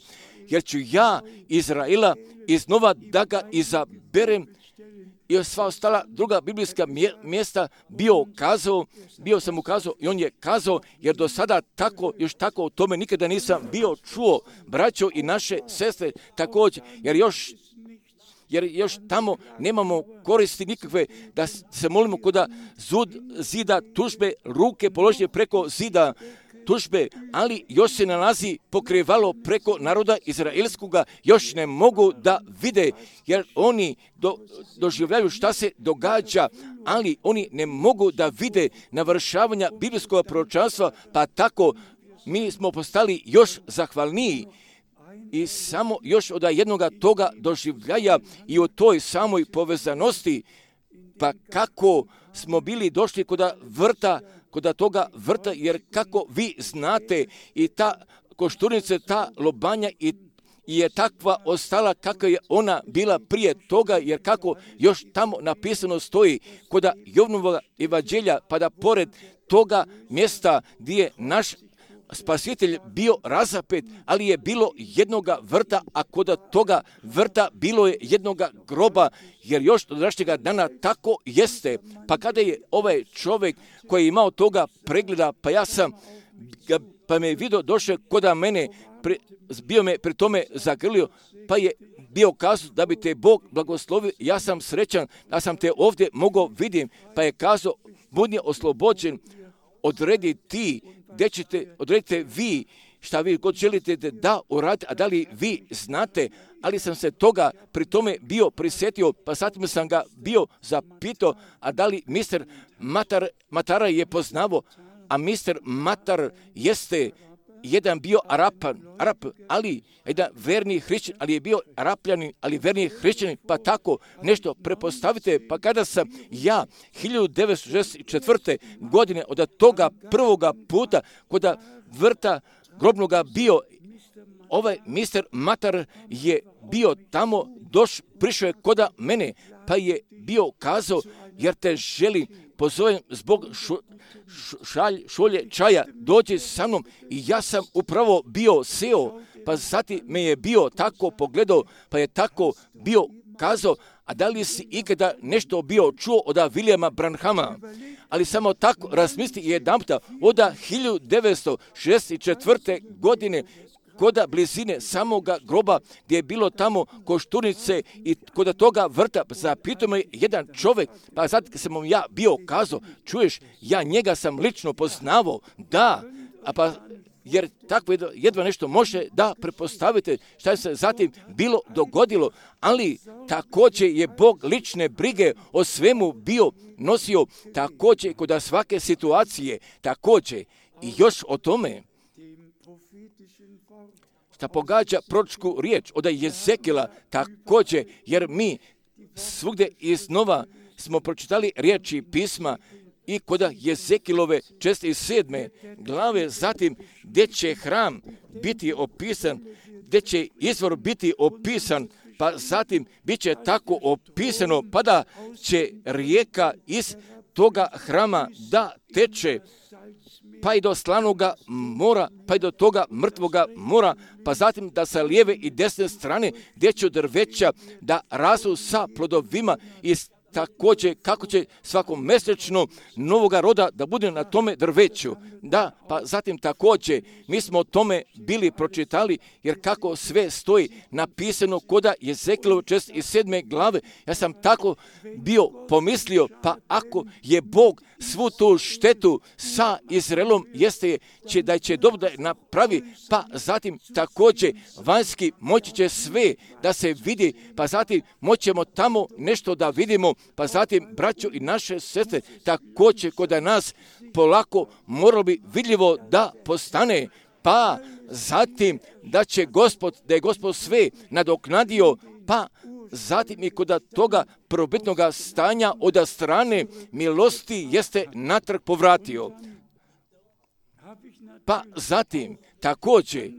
jer ću ja Izraela iznova da ga izaberem, i sva ostala druga biblijska mjesta bio kazao, bio sam ukazao i on je kazao, jer do sada tako, još tako o tome nikada nisam bio čuo, braćo i naše sestre također, jer još jer još tamo nemamo koristi nikakve da se molimo koda zud zida tužbe, ruke položene preko zida tužbe, ali još se nalazi pokrivalo preko naroda izraelskoga, još ne mogu da vide, jer oni do, doživljaju šta se događa, ali oni ne mogu da vide navršavanja biblijskog proročanstva, pa tako mi smo postali još zahvalniji i samo još od jednoga toga doživljaja i u toj samoj povezanosti, pa kako smo bili došli kod vrta, kod toga vrta, jer kako vi znate i ta košturnica, ta lobanja i je takva ostala kakva je ona bila prije toga, jer kako još tamo napisano stoji kod Jovanovog evanđelja, pa da pored toga mjesta gdje je naš Spasitelj bio razapet, ali je bilo jednoga vrta, a kod toga vrta bilo je jednoga groba, jer još do današnjega dana tako jeste. Pa kada je ovaj čovjek koji je imao toga pregleda, pa ja sam, pa me je vidio, došao kod mene, pre, bio me pri tome zagrlio, pa je bio kazao da bi te Bog blagoslovio, ja sam srećan da sam te ovdje mogao vidim, pa je kazao, budi oslobođen, odredi ti, gdje ćete, odredite vi šta vi god želite da uradite, a da li vi znate, ali sam se toga pri tome bio prisjetio, pa zatim sam ga bio zapitao, a da li mister Matar, Matara je poznavo, a mister Matar jeste jedan bio Arapan, Arap, ali jedan verni hrišćanin, ali je bio Arapljanin, ali verni hrišćanin, pa tako nešto prepostavite, pa kada sam ja hiljadu devetsto šezdeset četvrte. godine od toga prvoga puta kod vrta grobnoga bio, ovaj mister Matar je bio tamo, doš, prišao je kod mene, pa je bio kazao, jer te želim, pozovem zbog šu, šalj, šolje čaja, dođi sa mnom, i ja sam upravo bio seo, pa zatim me je bio tako pogledao, pa je tako bio kazao, a da li si ikada nešto bio čuo od Williama Branhama? Ali samo tako razmisli jedanputa, od hiljadu devetsto šezdeset četvrte. godine, kod blizine samoga groba gdje je bilo tamo košturnice i kod toga vrta, zapitao me jedan čovjek, pa sad kad sam mu ja bio kazao, čuješ, ja njega sam lično poznavao, da, a pa jer tako jedva nešto može da prepostavite šta se zatim bilo dogodilo, ali također je Bog lične brige o svemu bio nosio, također kod svake situacije, također i još o tome šta pogađa proročku riječ od Jezekila, također, jer mi svugdje iznova smo pročitali riječi pisma i kod Jezekilove četrdeset sedme. glave, zatim gdje će hram biti opisan, gdje će izvor biti opisan, pa zatim bit će tako opisano, pa da će rijeka iz toga hrama da teče, pa i do slanoga mora, pa i do toga mrtvoga mora, pa zatim da sa lijeve i desne strane gdje će drveća da rastu sa plodovima i također kako će svakomesečno novoga roda da bude na tome drveću. Da, pa zatim također mi smo o tome bili pročitali, jer kako sve stoji napisano kod Jezekilove četrdeset sedme. glave, ja sam tako bio pomislio, pa ako je Bog svu tu štetu sa Izraelom jeste će da će dobro da napravi, pa zatim također vanjski moći će sve da se vidi, pa zatim moćemo tamo nešto da vidimo, pa zatim braćo i naše sestre također kod nas polako moralo bi vidljivo da postane, pa zatim da će Gospod, da je Gospod sve nadoknadio, pa zatim i kod toga prvobitnog stanja od strane milosti jeste natrag povratio. Pa zatim također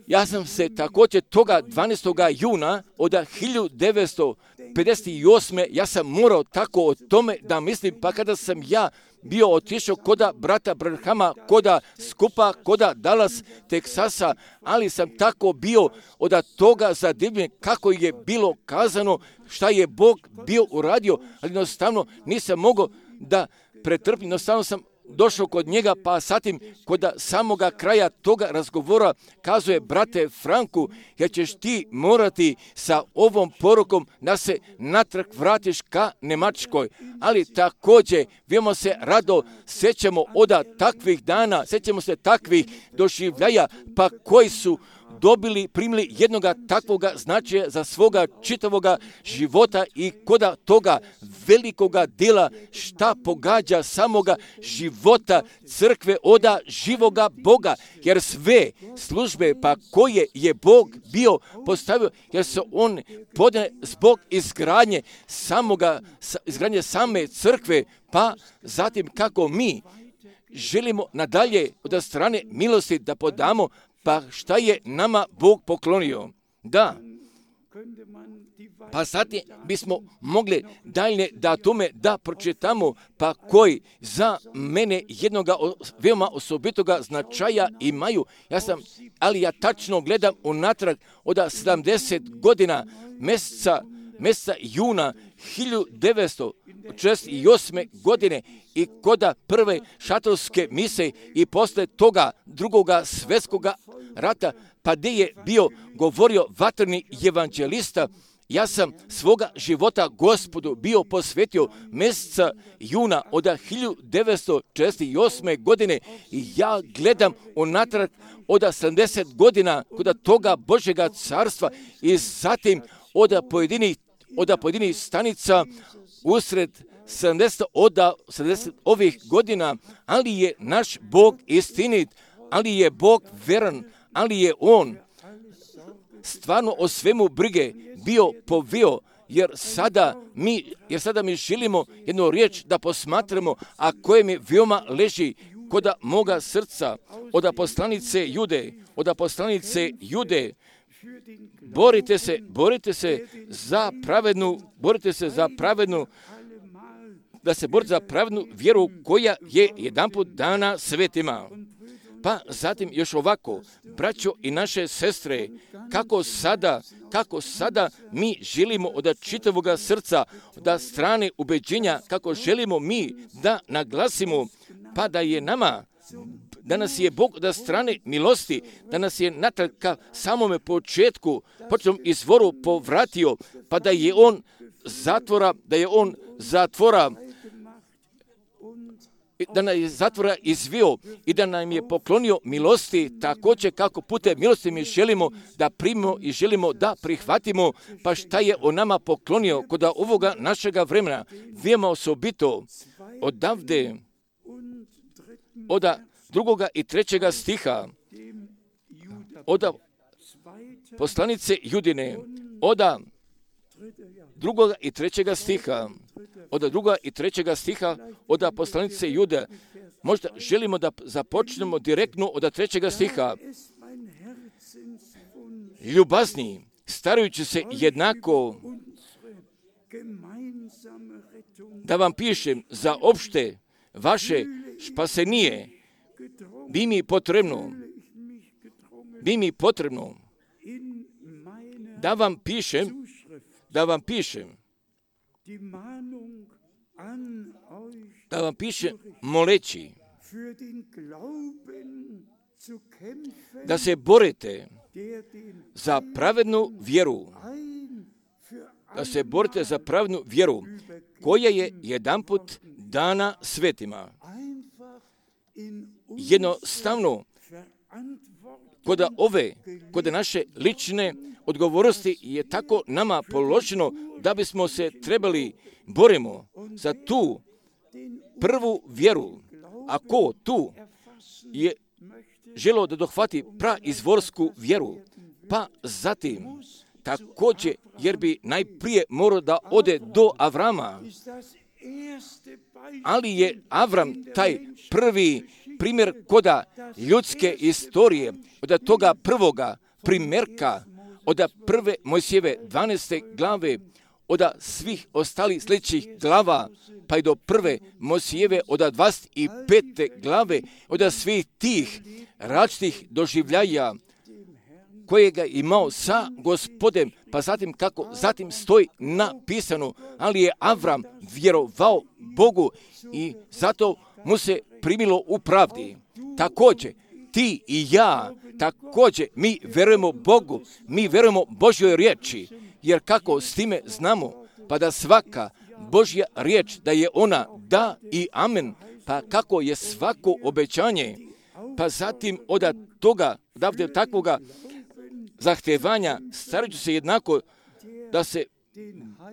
ja sam se također toga dvanaestog juna od hiljadu devetsto pedeset osme. ja sam morao tako o tome da mislim, pa kada sam ja bio otišao koda brata Branhama, koda skupa, koda Dallas, Teksasa, ali sam tako bio od toga zadivljen kako je bilo kazano, šta je Bog bio uradio, ali jednostavno nisam mogao da pretrpim, jednostavno sam došao kod njega, pa zatim kod samoga kraja toga razgovora kazuje, brate Franku, jer ćeš ti morati sa ovom porukom da se natrag vratiš ka Njemačkoj. Ali također, vijemo se rado, sjećamo od takvih dana, sjećamo se takvih doživljaja, pa koji su dobili, primili jednoga takvoga značaja za svoga čitavoga života i koda toga velikoga djela šta pogađa samoga života crkve oda živoga Boga, jer sve službe pa koje je Bog bio postavio, jer se on podne zbog izgradnje samoga, izgradnje same crkve, pa zatim kako mi želimo nadalje od strane milosti da podamo, pa šta je nama Bog poklonio? Da, pa zatim bismo mogli dalje da tome da pročitamo, pa koji za mene jednoga veoma osobitoga značaja imaju. Ja sam, ali ja tačno gledam unatrag od sedamdeset godina mjeseca, mjeseca juna hiljadu devetsto četrdeset osme. godine i koda prve šatorske mise i posle toga drugoga svjetskoga rata, pa gdje je bio govorio vatreni evanđelista, ja sam svoga života Gospodu bio posvetio mjeseca juna od hiljadu devetsto četrdeset osme. godine i ja gledam unatrag od sedamdeset godina kod toga Božjega carstva i zatim od pojedinih, od pojedinih stanica usred sedamdeset, od sedamdeset ovih godina, ali je naš Bog istinit, ali je Bog veran, ali je On stvarno o svemu brige bio povio, jer sada mi, jer sada mi želimo jednu riječ da posmatramo, a koje mi veoma leži kod moga srca, od poslanice Jude, od poslanice Jude, borite se, borite se za pravednu, borite se za pravednu, da se borite za pravednu vjeru koja je jedanput dana svetima. Pa zatim još ovako, braćo i naše sestre, kako sada, kako sada mi želimo od čitavoga srca, od strane ubeđenja, kako želimo mi da naglasimo, pa da je nama, da nas je Bog od strane milosti, da nas je natrag ka samome početku, početnom izvoru povratio, pa da je On zatvora, da je On zatvora, da nam je zatvora izvio i da nam je poklonio milosti, također kako putem milosti mi želimo da primimo i želimo da prihvatimo, pa šta je on nama poklonio kod ovoga našega vremena. Vijemo osobito odavde, od drugoga i trećega stiha, od poslanice Judine, od drugoga i trećega stiha, od drugoga i trećega stiha, od poslanice Jude. Možda želimo da započnemo direktno od trećega stiha. Ljubazni, starajući se jednako, da vam pišem za opšte vaše špasenije, bi mi potrebno, bi mi potrebno da vam pišem, da vam pišem, da vam pišem moleći, da se borite za pravednu vjeru, da se borite za pravednu vjeru, koja je jedanput dana svetima. Jednostavno, kod ove, kod naše lične odgovornosti je tako nama položeno da bismo se trebali borimo za tu prvu vjeru. Ako tu je želo da dohvati praizvorsku vjeru, pa zatim također, jer bi najprije morao da ode do Avrama, ali je Avram taj prvi primjer koda ljudske istorije, od toga prvoga primjerka, od prve Mojsijeve dvanaeste glave, od svih ostalih sljedećih glava, pa i do prve Mojsijeve od dvadeset pete glave, od svih tih različitih doživljaja kojega je imao sa Gospodem, pa zatim kako zatim stoji napisano, ali je Avram vjerovao Bogu i zato mu se primilo u pravdi. Također, ti i ja, također mi verujemo Bogu, mi verujemo Božjoj riječi, jer kako s time znamo, pa da svaka Božja riječ, da je ona da i amen, pa kako je svako obećanje, pa zatim od toga, odavde takvoga zahtevanja, starat ću se jednako da se,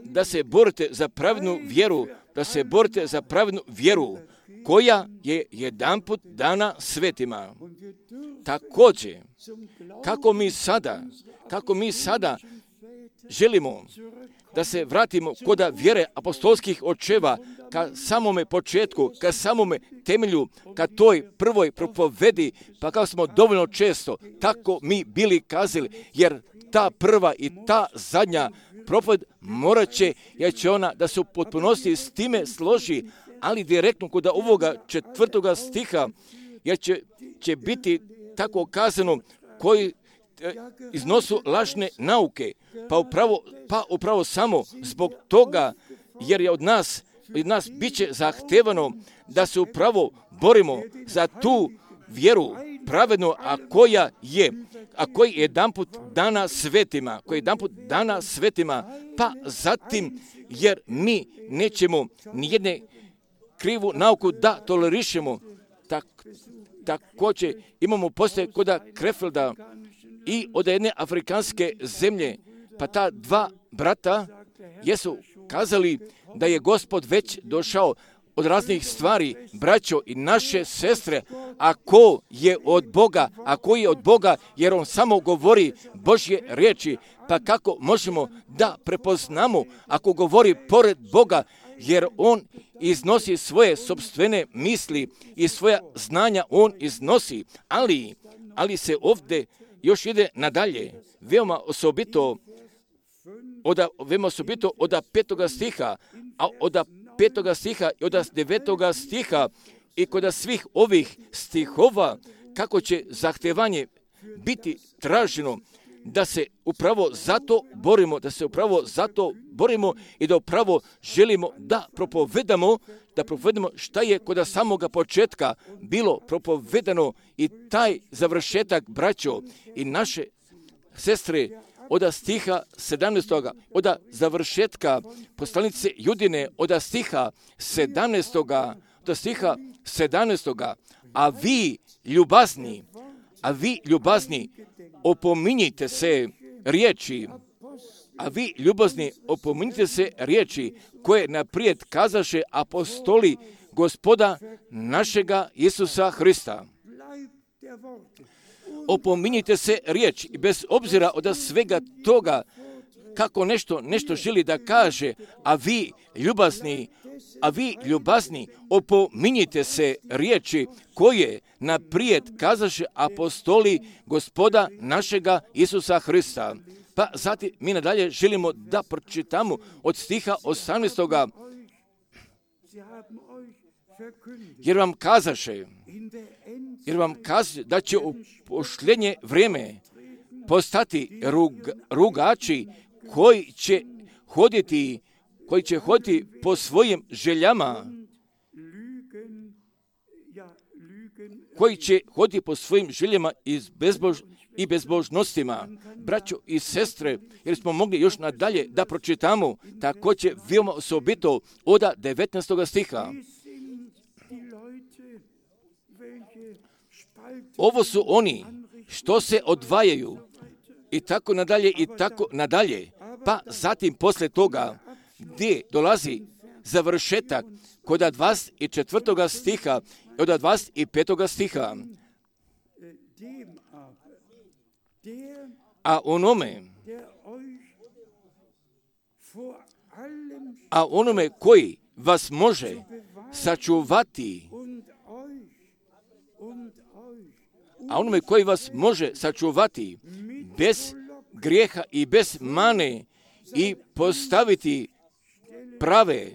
da se borite za pravednu vjeru, da se borite za pravednu vjeru, koja je jedanput dana svetima. Također, kako mi sada, kako mi sada želimo da se vratimo kod vjere apostolskih očeva, ka samome početku, ka samome temelju, ka toj prvoj propovedi, pa kao smo dovoljno često tako mi bili kazali, jer ta prva i ta zadnja propoved morat će, jer će ona da se u potpunosti s time složi, ali direktno kod ovoga četvrtoga stiha, jer će, će biti tako kazano koji e, iznosu lažne nauke, pa upravo, pa upravo samo zbog toga, jer je od nas, od nas bit će zahtevano da se upravo borimo za tu vjeru pravedno, a koja je, a koji je jedanput dana svetima, koji je jedanput dana svetima, pa zatim, jer mi nećemo nijedne krivu nauku da tolerišemo. Tak, također imamo postoje koda Krefelda i od jedne afrikanske zemlje, pa ta dva brata jesu kazali da je Gospod već došao od raznih stvari, braćo i naše sestre, ako je od Boga, ako je od Boga, jer on samo govori Božje riječi, pa kako možemo da prepoznamo ako govori pored Boga, jer on iznosi svoje sopstvene misli i svoja znanja on iznosi, ali, ali se ovdje još ide nadalje, veoma osobito od, veoma osobito od petoga stiha, a od petoga stiha i od devetoga stiha i kod svih ovih stihova, kako će zahtevanje biti traženo, da se upravo zato borimo, da se upravo zato borimo i da upravo želimo da propovedamo, da propovedamo šta je kod samoga početka bilo propovedano i taj završetak, braćo i naše sestre, od stiha sedamnaestoga, od završetka poslanice Judine, od stiha sedamnaestoga, od stiha sedamnaestoga, a vi ljubazni, a vi ljubazni, opominjite se riječi, a vi ljubazni, opominjite se riječi koje naprijed kazaše apostoli Gospoda našega Isusa Hrista. Opominjite se riječi i bez obzira od svega toga kako nešto, nešto želi da kaže, a vi ljubazni, a vi ljubazni, opominjite se riječi koje naprijed kazaše apostoli Gospoda našega Isusa Hrista. Pa zatim mi nadalje želimo da pročitamo od stiha osamnaestoga. Jer vam kazaše, jer vam kazaše da će u posljednje vrijeme postati rug, rugači koji će hoditi, koji će hoditi po svojim željama, koji će hoditi po svojim željama i, bezbož, i bezbožnostima. Braćo i sestre, jer smo mogli još nadalje da pročitamo, također veoma osobito od devetnaestoga stiha. Ovo su oni što se odvajaju i tako nadalje i tako nadalje. Pa zatim posle toga gdje dolazi završetak kod dvadeset četvrtoga stiha i od dvadeset petoga stiha. A onome, a onome koji vas može sačuvati, a onome koji vas može sačuvati bez grijeha i bez mane i postaviti prave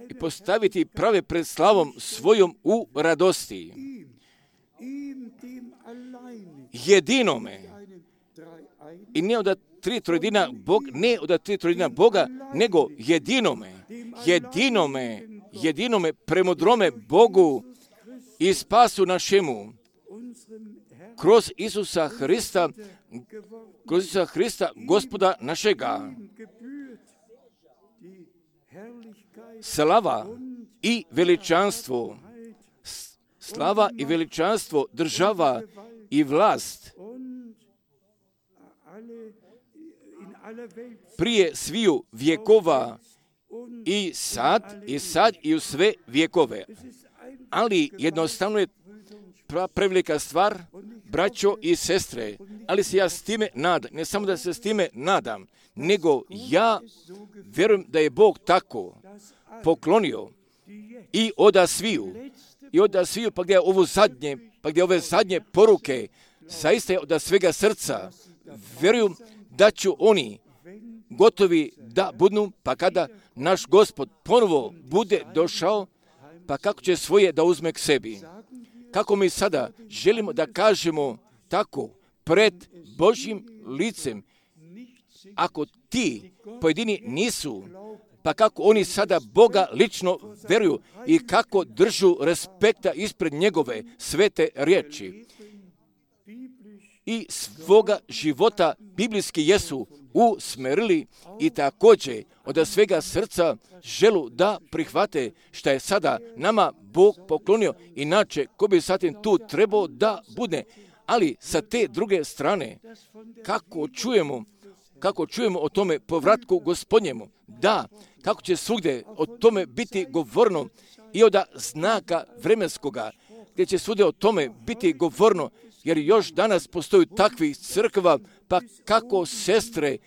i postaviti prave pred slavom svojom u radosti. Jedinome i ne od tri trojedina Bog, ne od tri trojedina Boga, nego jedinome, jedinome jedinome premudrome Bogu i spasu našemu, kroz Isusa Hrista, kroz Isusa Hrista, Gospoda našega. Slava i veličanstvo, slava i veličanstvo, država i vlast prije sviju vjekova i sad, i sad i u sve vjekove. Ali jednostavno je prevelika stvar, braćo i sestre, ali se ja s time nadam, ne samo da se s time nadam, nego ja vjerujem da je Bog tako poklonio i oda sviju, i oda sviju, pa gdje je ovo zadnje, pa gdje ove zadnje poruke, zaista je oda svega srca, vjerujem da ću oni gotovi da budu, pa kada naš Gospod ponovo bude došao, pa kako će svoje da uzme k sebi. Kako mi sada želimo da kažemo tako pred Božjim licem, ako ti pojedini nisu, pa kako oni sada Boga lično vjeruju i kako držu respekta ispred njegove svete riječi i svoga života biblijski jesu usmerili i također od svega srca želu da prihvate što je sada nama Bog poklonio, inače ko bi zatim tu trebao da bude. Ali sa te druge strane, kako čujemo, kako čujemo o tome povratku Gospodnjemu, da, kako će svugdje o tome biti govorno i od znaka vremenskoga, gdje će svugdje o tome biti govorno, jer još danas postoji takvih crkva, pa kako sestre,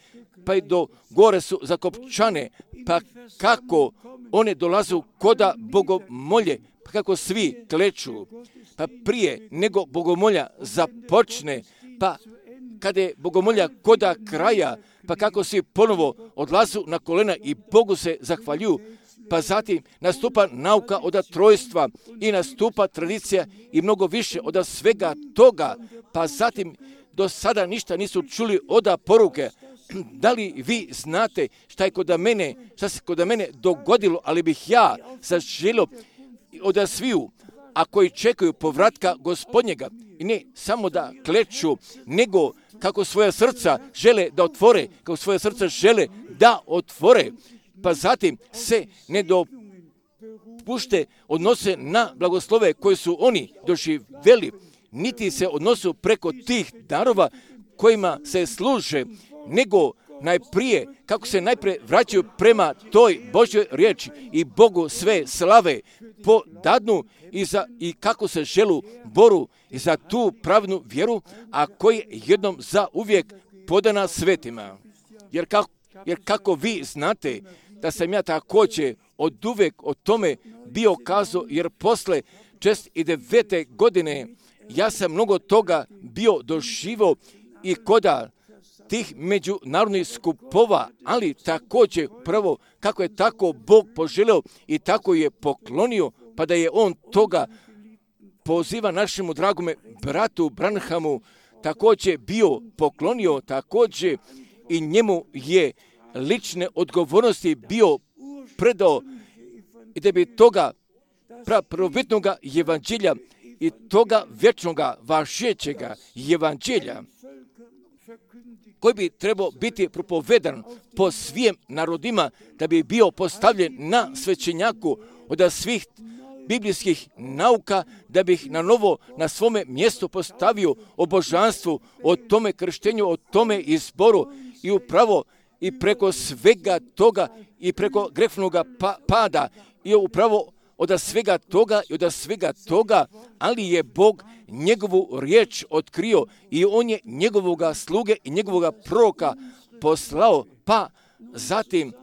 pa i do gore su zakopčane, pa kako one dolazu koda bogomolje, pa kako svi kleču, pa prije nego bogomolja započne, pa kada je bogomolja koda kraja, pa kako svi ponovo odlazu na kolena i Bogu se zahvaljuju, pa zatim nastupa nauka od trojstva i nastupa tradicija i mnogo više od svega toga, pa zatim do sada ništa nisu čuli od poruke. Da li vi znate šta je kod mene, šta se kod mene dogodilo, ali bih ja zaželio od sviju, a koji čekaju povratka Gospodnjega, i ne samo da kleču, nego kako svoja srca žele da otvore, kako svoja srca žele da otvore, pa zatim se ne dopušte odnose na blagoslove koje su oni doživjeli, niti se odnosu preko tih darova kojima se služe, nego najprije, kako se najprije vraćaju prema toj Božjoj riječi i Bogu sve slave podadnu i, za, i kako se želu boru i za tu pravnu vjeru, a koji je jednom za uvijek podana svetima. Jer kako, jer kako vi znate da sam ja također od uvijek o tome bio kazao, jer posle šezdeset devete godine ja sam mnogo toga bio doživio i koda tih međunarodnih skupova, ali također prvo kako je tako Bog poželio i tako je poklonio, pa da je on toga poziva našemu dragome bratu Branhamu također bio poklonio, također i njemu je lične odgovornosti bio predao i da bi toga prvobitnoga evanđelja i toga vječnoga važećega evanđelja koji bi trebao biti propovedan po svim narodima, da bi bio postavljen na svećenjaku od svih biblijskih nauka, da bih na novo na svome mjestu postavio o božanstvu, o tome krštenju, o tome izboru i upravo i preko svega toga i preko grehovnoga pa, pada i upravo od svega toga i od svega toga, ali je Bog njegovu riječ otkrio i on je njegovoga sluge i njegovoga proroka poslao, pa zatim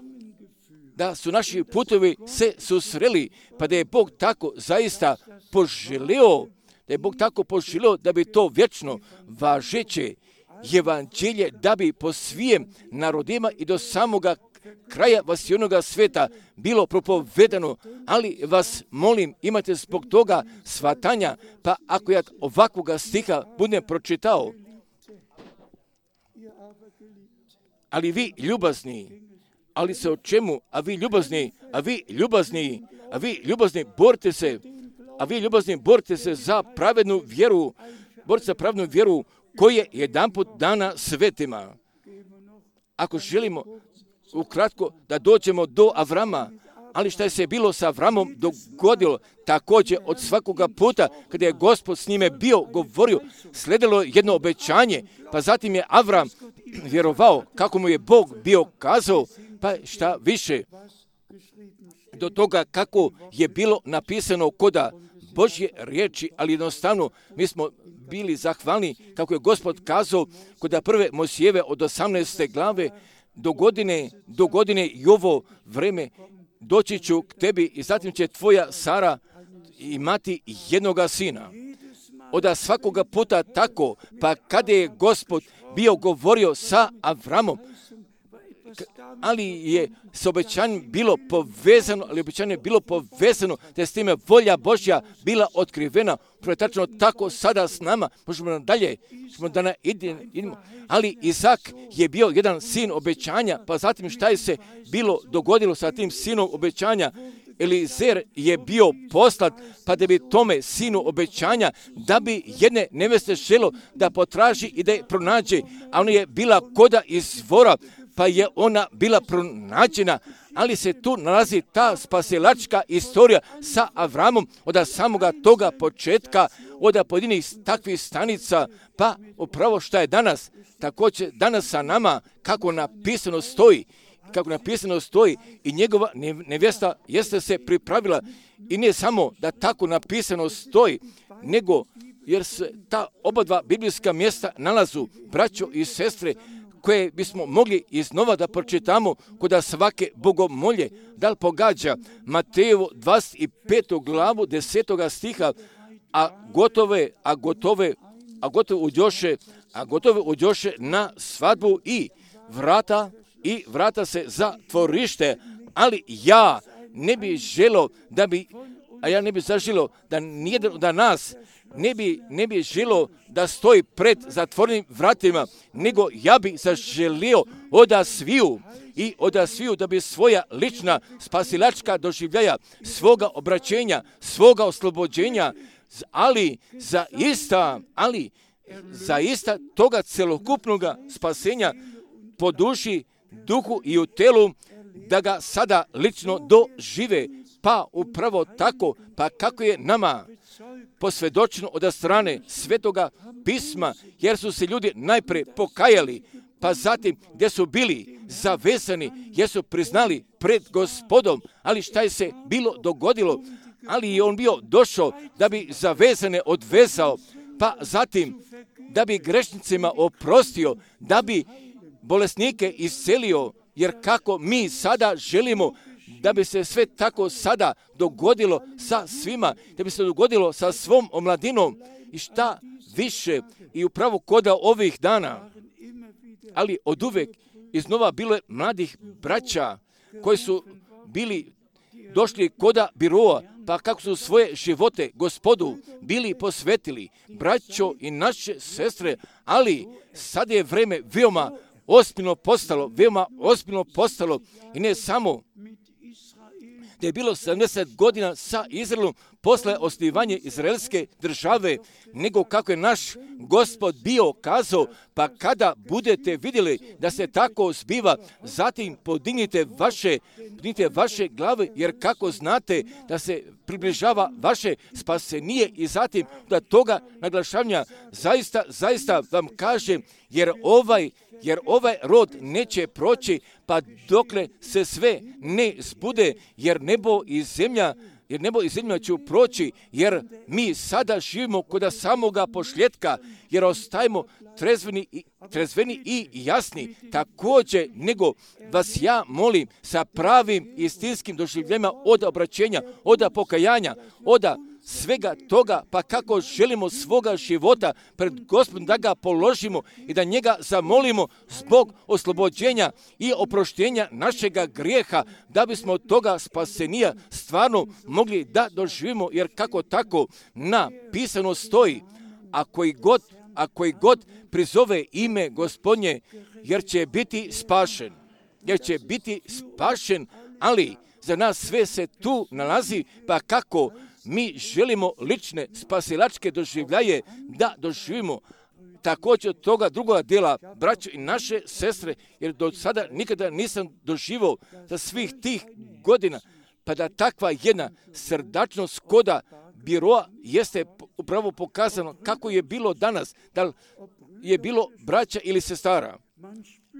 da su naši putovi se susreli, pa da je Bog tako zaista poželio, da je Bog tako poželio da bi to vječno važeće evanđelje, da bi po svim narodima i do samoga kraja vasijonoga sveta bilo propovedano, ali vas molim, imate zbog toga shvatanja, pa ako ja ovakvoga stiha budem pročitao, ali vi ljubazni, ali se o čemu, a vi ljubazni, a vi ljubazni, a vi ljubazni borite se, a vi ljubazni borite se za pravednu vjeru, borite za pravednu vjeru koja je jedanput dana svetima. Ako želimo ukratko da dođemo do Avrama, ali šta je se bilo sa Avramom dogodilo, također od svakoga puta kada je Gospod s njime bio govorio, sledilo jedno obećanje, pa zatim je Avram vjerovao kako mu je Bog bio kazao, pa šta više, do toga kako je bilo napisano koda Božje riječi, ali jednostavno mi smo bili zahvalni kako je Gospod kazao koda prve Mojsijeve od osamnaeste glave, do godine, do godine i ovo vreme doći ću k tebi i zatim će tvoja Sara imati jednoga sina. Oda svakoga puta tako, pa kada je Gospod bio govorio sa Avramom, ali je s obećanjem bilo povezano, ali obećanje je bilo povezano, da je s time volja Božja bila otkrivena. Tačno tako sada s nama, možemo dalje, možemo da na idemo. Ali Izak je bio jedan sin obećanja, pa zatim šta je se bilo dogodilo sa tim sinom obećanja? Elizer je bio poslat, pa da bi tome sinu obećanja, da bi jedne neveste želo da potraži i da je pronađe, a ona je bila koda izvora, pa je ona bila pronađena, ali se tu nalazi ta spasilačka istorija sa Avramom od samoga toga početka, od pojedinih takvih stanica, pa upravo šta je danas, također danas sa nama, kako napisano stoji, kako napisano stoji i njegova nevjesta jeste se pripravila i ne samo da tako napisano stoji, nego jer se ta oba dva biblijska mjesta nalazu, braćo i sestre, koje bismo mogli iznova da pročitamo kod svake bogomolje, da li pogađa Matejevu dvadeset petu glavu desetoga stiha, a gotove, a gotove, a gotove uđoše, a gotove uđoše na svadbu i vrata, i vrata se zatvorište, ali ja ne bi želio da bi, a ja ne bi zaželio da nijedan od nas ne bi, ne bi želio da stoji pred zatvorenim vratima, nego ja bi zaželio oda sviju i oda sviju da bi svoja lična spasilačka doživljaja, svoga obraćenja, svoga oslobođenja, ali za ista, ali za ista toga celokupnoga spasenja po duši, duhu i u telu, da ga sada lično dožive, pa upravo tako, pa kako je nama posvjedočeno od strane Svetoga pisma, jer su se ljudi najprije pokajali, pa zatim gdje su bili zavezani, jer su priznali pred Gospodom, ali šta je se bilo dogodilo, ali je on bio došao da bi zavezane odvezao, pa zatim da bi grešnicima oprostio, da bi bolesnike iscelio, jer kako mi sada želimo da bi se sve tako sada dogodilo sa svima, da bi se dogodilo sa svom omladinom i šta više i upravo koda ovih dana, ali od uvek iznova bilo je mladih braća koji su bili došli koda biroa, pa kako su svoje živote Gospodu bili posvetili, braćo i naše sestre, ali sad je vreme veoma ozbiljno postalo, veoma ozbiljno postalo i ne samo da je bilo sedamdeset godina sa Izraelom posle osnivanja izraelske države, nego kako je naš Gospod bio kazao, pa kada budete vidjeli da se tako zbiva, zatim podignite vaše, podignite vaše glave, jer kako znate da se približava vaše spasenije i zatim da toga naglašavanja zaista, zaista vam kažem, jer ovaj jer ovaj rod neće proći, pa dokle se sve ne zbude, jer nebo i zemlja, jer nebo i zemlja će proći, jer mi sada živimo kod samoga pošljetka, jer ostajemo trezveni i, trezveni i jasni, također nego vas ja molim sa pravim istinskim doživljenjima od obraćenja, od pokajanja, od svega toga, pa kako želimo svoga života pred Gospodom da ga položimo i da njega zamolimo zbog oslobođenja i oproštenja našega grijeha, da bismo od toga spasenija stvarno mogli da doživimo, jer kako tako napisano stoji, a koji god, a koji god prizove ime Gospodnje, jer će biti spašen, jer će biti spašen, ali za nas sve se tu nalazi, pa kako mi želimo lične spasilačke doživljaje da doživimo također od toga drugoga dela, braćo i naše sestre, jer do sada nikada nisam doživio za svih tih godina, pa da takva jedna srdačnost koda biroa jeste upravo pokazano kako je bilo danas, da li je bilo braća ili sestara.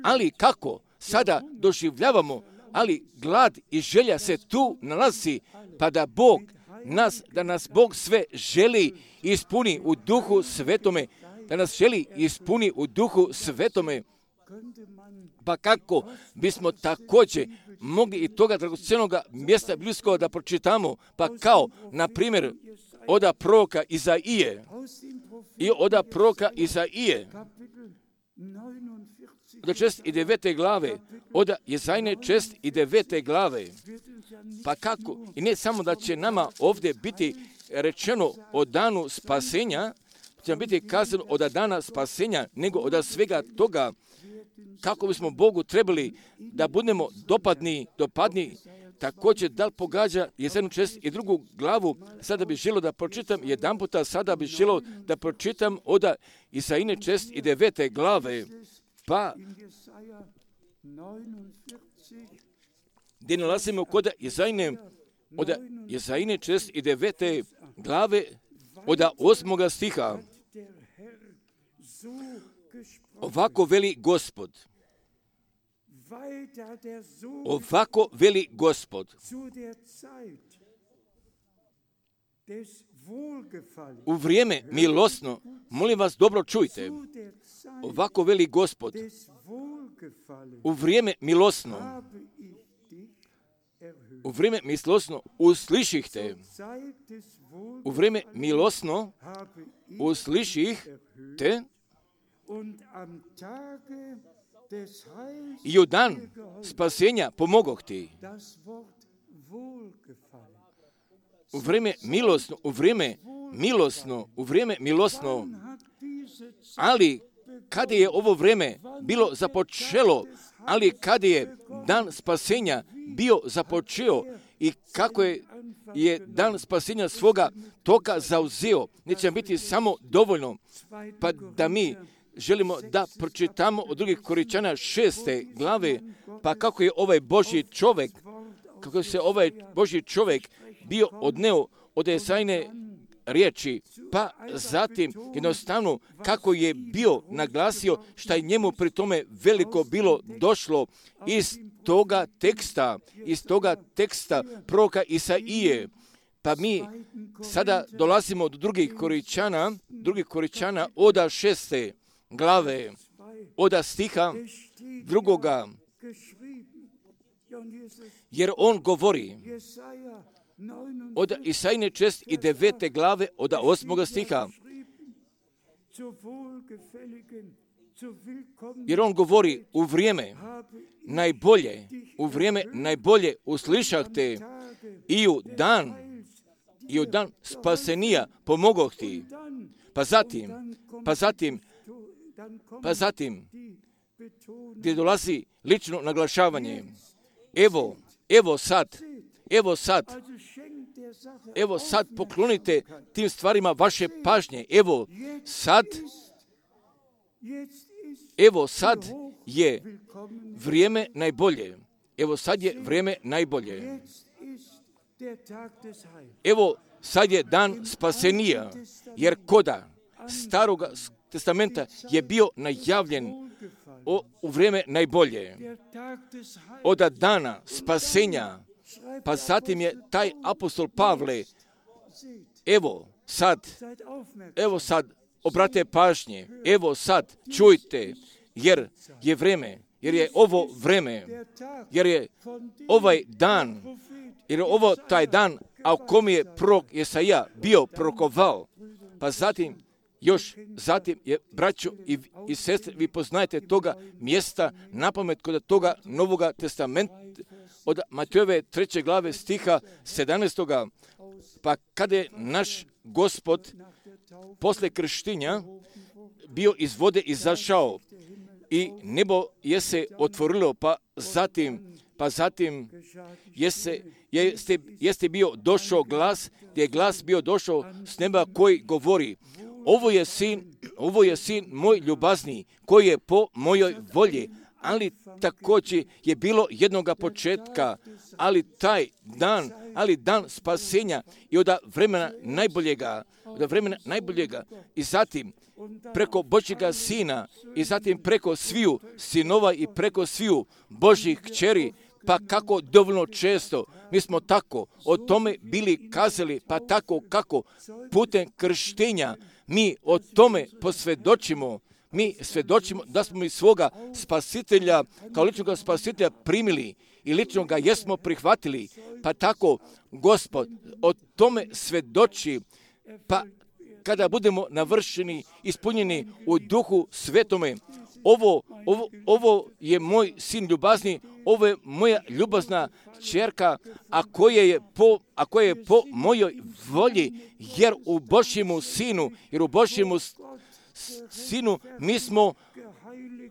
Ali kako sada doživljavamo, ali glad i želja se tu nalazi, pa da Bog nas, da nas Bog sve želi ispuni u duhu svetome, da nas želi ispuni u duhu svetome, pa kako bismo također mogli i toga dragocjenog mjesta bliskog da pročitamo, pa kao, na primjer, oda proroka Izaije i oda proroka Izaije, od šest i devete glave, od Jezajne šest i devete glave, pa kako, i ne samo da će nama ovdje biti rečeno o danu spasenja, će nam biti kazano od dana spasenja, nego od svega toga, kako bismo Bogu trebali da budemo dopadni, dopadni, također da li pogađa Jezajnu šest i drugu glavu, sada bih želio da pročitam jedan puta, sada bih želio da pročitam od Jezajne šest i devete glave, pa gdje nalazimo kod Jezajne, od Jezajne šest i devete glave, od osmoga stiha. Ovako veli Gospod. Ovako veli Gospod. U vrijeme milosno, molim vas dobro čujte, ovako veli Gospod, u vrijeme milosno, u vrijeme milosno usliših te, u vrijeme milosno usliših te i u dan spasenja pomogoh ti. U vrijeme milosno, u vrijeme milosno, u vrijeme milosno, ali kada je ovo vrijeme bilo započelo, ali kada je dan spasenja bio započeo i kako je, je dan spasenja svoga toka zauzeo, neće biti samo dovoljno, pa da mi želimo da pročitamo od drugih Korinčana šeste glave, pa kako je ovaj Božji čovjek, kako se ovaj Božji čovjek bio odneo od Jezajne riječi, pa zatim jednostavno kako je bio naglasio šta je njemu pri tome veliko bilo došlo iz toga teksta, iz toga teksta proroka Isaije. Pa mi sada dolazimo do drugih Korinčana, drugih Korinčana oda šeste glave, oda stiha drugoga, jer on govori od Isajne šest i devete glave, od osmoga stiha, jer on govori u vrijeme najbolje, u vrijeme najbolje uslišah te i u dan, i u dan spasenija pomogoh ti. Pa zatim, pa zatim, pa zatim, gdje dolazi lično naglašavanje. Evo, evo sad, evo sad, evo sad poklonite tim stvarima vaše pažnje. Evo sad, evo sad je vrijeme najbolje. Evo sad je vrijeme najbolje. Evo sad je dan spasenija, jer koda Staroga testamenta je bio najavljen o, u vrijeme najbolje. Od dana spasenja, pa zatim je taj apostol Pavle, evo sad, evo sad, obrate pažnje, evo sad, čujte, jer je vrijeme, jer je ovo vrijeme, jer je ovaj dan, jer je ovo taj dan, a u kom je prorok Jesaja bio prorokovao, pa zatim, još zatim je, braćo i, i sestre, vi poznajete toga mjesta napamet kod toga Novoga testamenta, od Matejove treće glave stiha sedamnaestoga. Pa kada je naš Gospod posle krštenja bio iz vode izašao i nebo je se otvorilo, pa zatim, Pa zatim jeste, jeste, jeste bio došao glas, gdje je glas bio došao s neba koji govori, ovo je sin, ovo je sin moj ljubazni, koji je po mojoj volji. Ali također je bilo jednoga početka, ali taj dan, ali dan spasenja i od vremena najboljega, od vremena najboljega i zatim preko Božjega sina i zatim preko sviju sinova i preko sviju Božjih kćeri, pa kako dovoljno često mi smo tako o tome bili kazali, pa tako kako putem krštenja mi o tome posvjedočimo. Mi svjedočimo da smo mi svoga spasitelja, kao ličnog spasitelja primili i lično ga jesmo prihvatili. Pa tako Gospod o tome svjedoči, pa kada budemo navršeni, ispunjeni u duhu svetome, ovo, ovo, ovo je moj sin ljubazni, ovo je moja ljubazna ćerka, a koja je po, a koja je po mojoj volji, jer u Božjemu sinu, jer u Božjemu sinu mi smo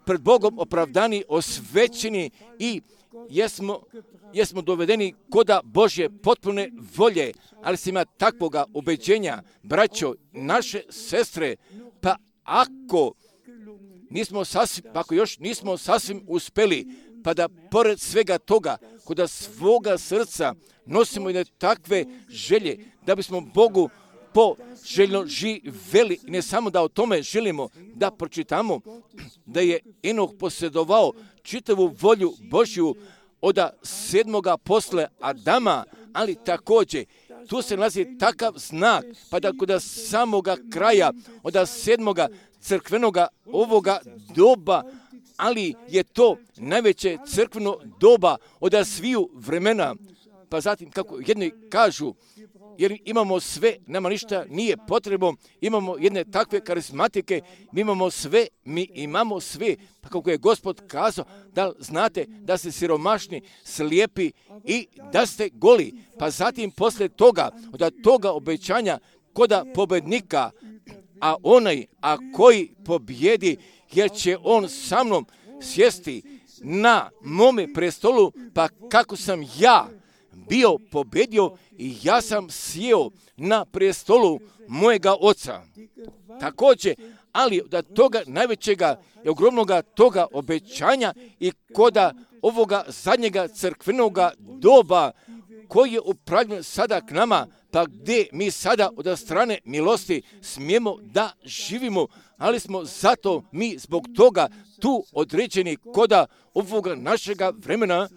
pred Bogom opravdani, osvećeni i jesmo, jesmo dovedeni koda Božje potpune volje, ali se ima takvoga ubeđenja, braćo, naše sestre, pa ako nismo sasvim, ako još nismo sasvim uspeli, pa da pored svega toga, koda svoga srca nosimo jedne takve želje, da bismo Bogu poželjno živeli, ne samo da o tome želimo da pročitamo, da je Enoh posjedovao čitavu volju Božju od sedmoga posle Adama, ali također tu se nalazi takav znak, pa da kod samoga kraja, od sedmoga crkvenoga ovoga doba, ali je to najveće crkveno doba od sviju vremena. Pa zatim, kako jedni kažu, jer imamo sve, nama ništa nije potrebno, imamo jedne takve karizmatike, mi imamo sve, mi imamo sve, pa kako je Gospod kazao, da znate da ste siromašni, slijepi i da ste goli. Pa zatim posle toga, od toga obećanja koda pobednika, a onaj, a koji pobjedi, jer će on sa mnom sjesti na mome prestolu, pa kako sam ja bio pobjedio i ja sam sjeo na prestolu mojega oca. Također, ali od toga najvećega i ogromnoga toga obećanja i koda ovoga zadnjega crkvenoga doba koji je upravljen sada k nama, pa gdje mi sada od strane milosti smijemo da živimo, ali smo zato mi zbog toga tu određeni koda ovoga našega vremena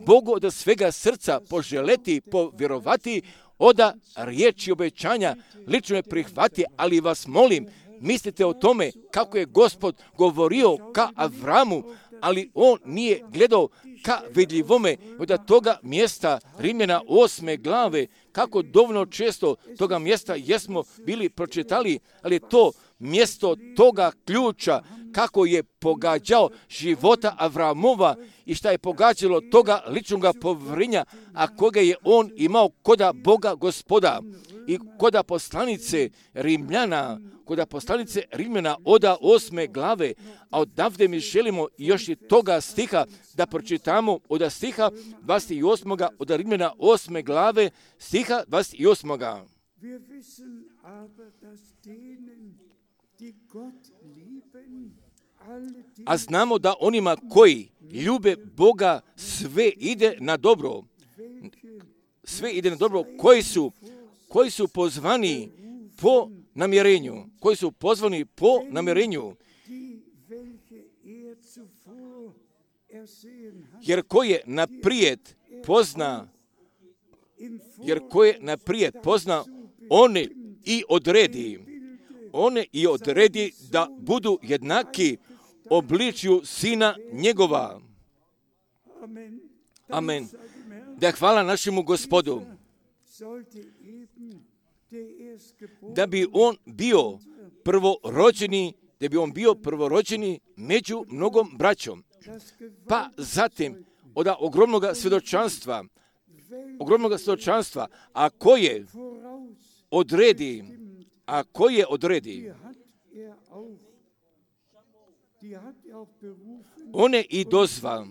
Bogu od svega srca poželeti, povjerovati, oda riječi obećanja lično je prihvati, ali vas molim, mislite o tome kako je Gospod govorio ka Avramu, ali on nije gledao ka vidljivome od toga mjesta Rimljana osme glave, kako dovoljno često toga mjesta jesmo bili pročitali, ali to mjesto toga ključa kako je pogađao života Avramova i šta je pogađalo toga ličnoga povrinja, a koga je on imao koda Boga Gospoda i koda poslanice Rimljana, koda poslanice Rimljana oda osme glave, a odavde mi želimo još i toga stiha da pročitamo od stiha dvadeset osmog od Rimljana osme glave, stiha dvadeset osmog A znamo da onima koji ljube Boga sve ide na dobro. Sve ide na dobro. Koji su, koji su pozvani po namjerenju. Koji su pozvani po namjerenju. Jer ko je naprijed pozna, jer ko je naprijed pozna, one i odredi. One i odredi da budu jednaki obličju sina njegova. Amen. Da hvala našemu Gospodu. Da bi on bio prvorođeni, da bi on bio prvorođeni među mnogom braćom. Pa zatim od ogromnog svjedočanstva, ogromnog svjedočanstva, a koje odredi, a koje odredi, one i dozva,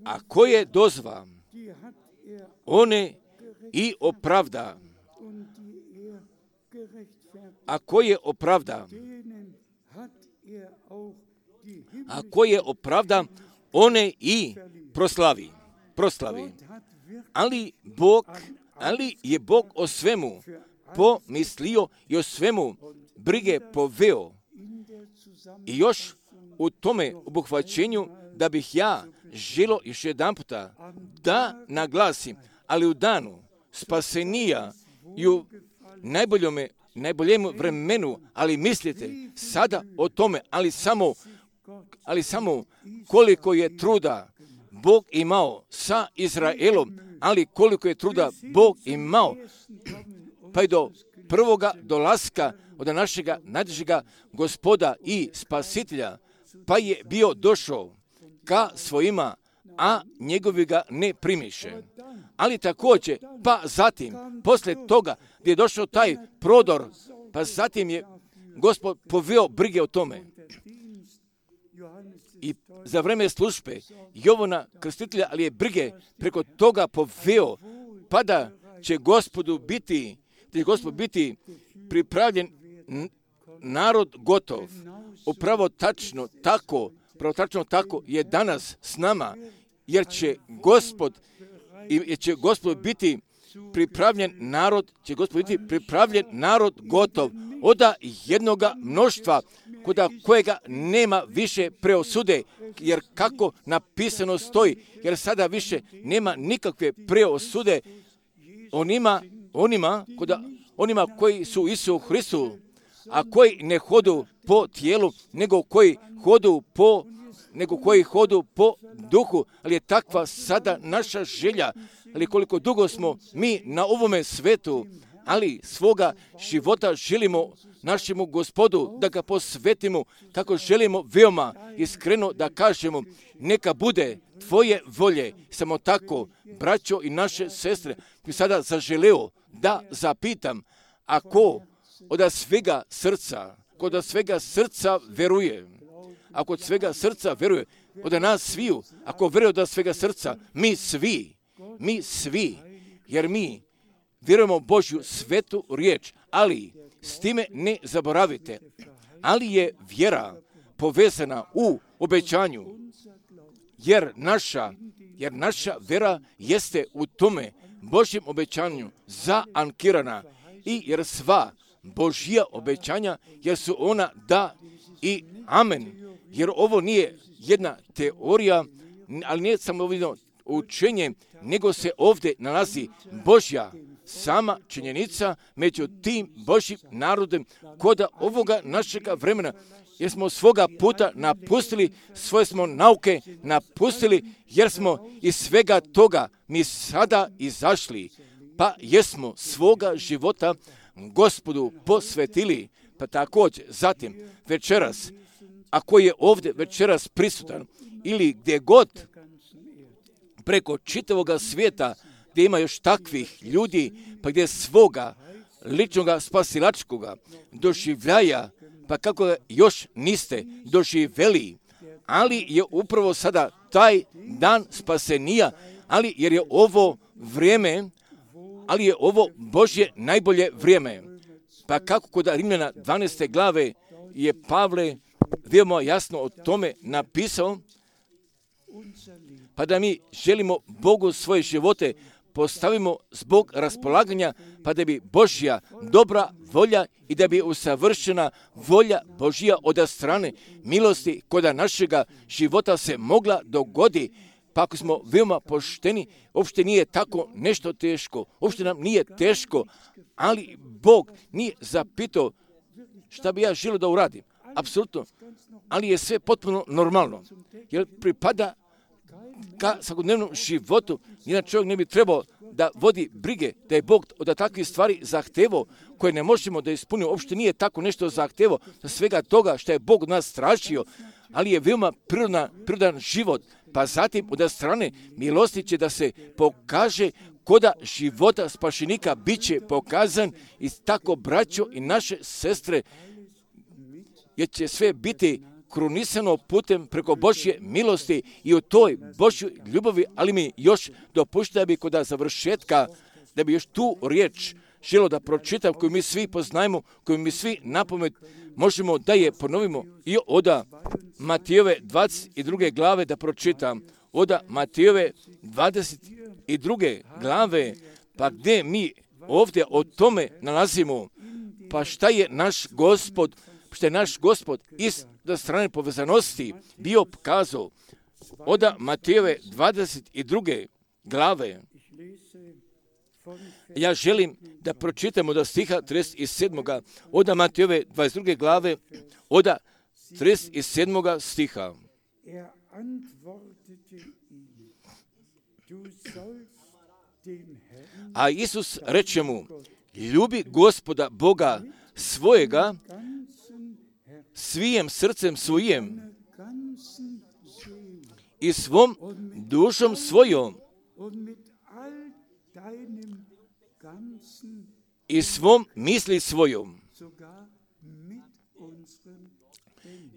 a koje dozva, one i opravda. A koje opravda, a koje opravda, one i proslavi. proslavi. Ali Bog, ali je Bog o svemu pomislio i o svemu brige poveo. I još u tome obuhvaćenju da bih ja želio još jedan puta da naglasim, ali u danu spasenija i u najboljome, najboljem vremenu, ali mislite sada o tome, ali samo, ali samo koliko je truda Bog imao sa Izraelom, ali koliko je truda Bog imao pa i do prvoga dolaska od našega najdražega Gospoda i Spasitelja, pa je bio došao ka svojima, a njegovi ga ne primiše. Ali također, pa zatim, poslije toga gdje je došao taj prodor, pa zatim je Gospod poveo brige o tome. I za vreme službe Jovana Krstitelja, ali je brige preko toga poveo, pa da će Gospodu biti, da će Gospod biti pripravljen narod gotov. Upravo tačno tako, upravo tačno tako je danas s nama, jer će Gospod, jer će Gospod biti pripravljen narod, će Gospod biti pripravljen narod gotov od jednoga mnoštva kod kojega nema više preosude, jer kako napisano stoji, jer sada više nema nikakve preosude onima, onima, koda, onima koji su Isu Hristu, a koji ne hodu po tijelu, nego koji hodu po nego koji hodu po duhu, ali je takva sada naša želja, ali koliko dugo smo mi na ovome svetu, ali svoga života želimo našemu Gospodu, da ga posvetimo, kako želimo veoma iskreno da kažemo, neka bude tvoje volje. Samo tako, braćo i naše sestre, bi sada zaželeo da zapitam, ako od svega srca, kod svega srca veruje, ako od svega srca veruje, od nas sviju, ako veruje od svega srca, mi svi, mi svi, jer mi vjerujemo Božju svetu riječ, ali s time ne zaboravite, ali je vjera povezana u obećanju, jer naša, jer naša vjera jeste u tome Božjem obećanju zaankirana i jer sva Božja obećanja, jer su ona da i amen. Jer ovo nije jedna teorija, ali nije samo vidno učenje, nego se ovdje nalazi Božja sama činjenica među tim Božjim narodom kod ovoga našega vremena, jer smo svoga puta napustili, svoje smo nauke napustili, jer smo iz svega toga mi sada izašli, pa jesmo svoga života Gospodu posvetili. Pa također, zatim, večeras, ako je ovdje večeras prisutan ili gdje god preko čitavoga svijeta gdje ima još takvih ljudi, pa gdje svoga ličnoga spasilačkoga doživljaja, pa kako ga još niste doživjeli, ali je upravo sada taj dan spasenija, ali jer je ovo vrijeme, ali je ovo Božje najbolje vrijeme. Pa kako kod Rimljana dvanaeste glave je Pavle veoma jasno o tome napisao, pa da mi želimo Bogu svoje živote postavimo zbog raspolaganja, pa da bi Božja dobra volja i da bi usavršena volja Božja od strane milosti kod našega života se mogla dogodi. Pa ako smo veoma pošteni, uopšte nije tako nešto teško, uopšte nam nije teško, ali Bog nije zapitao šta bi ja želio da uradim. Apsolutno, ali je sve potpuno normalno, jer pripada ka svakodnevnom životu. Jedan čovjek ne bi trebao da vodi brige, da je Bog od takvih stvari zahtevao, koje ne možemo da ispunimo. Uopšte nije tako nešto zahtevao za svega toga što je Bog od nas tražio, ali je veoma prirodan, prirodan život. Pa zatim od strane milosti će da se pokaže koda života spašenika bit će pokazan i tako braćo i naše sestre, jer će sve biti krunisano putem preko Božje milosti i u toj Božjoj ljubavi, ali mi još dopušta bi kod završetka, da bi još tu riječ želo da pročitam, koju mi svi poznajemo, koju mi svi napamet možemo da je ponovimo i oda Matijove dvadeset druge glave da pročitam. Oda Matijove dvadeset druge glave, pa gdje mi ovdje o tome nalazimo, pa šta je naš Gospod, što je naš Gospod iz strane povezanosti bio pokazao. Oda Matijove dvadeset druge glave. Ja želim da pročitamo do stiha trideset sedam. Oda Matijove dvadeset druge glave, oda trideset sedam stiha. A Isus reče mu, ljubi Gospoda Boga svojega svijem srcem svojim i svom dušom svojom i svom misli svojom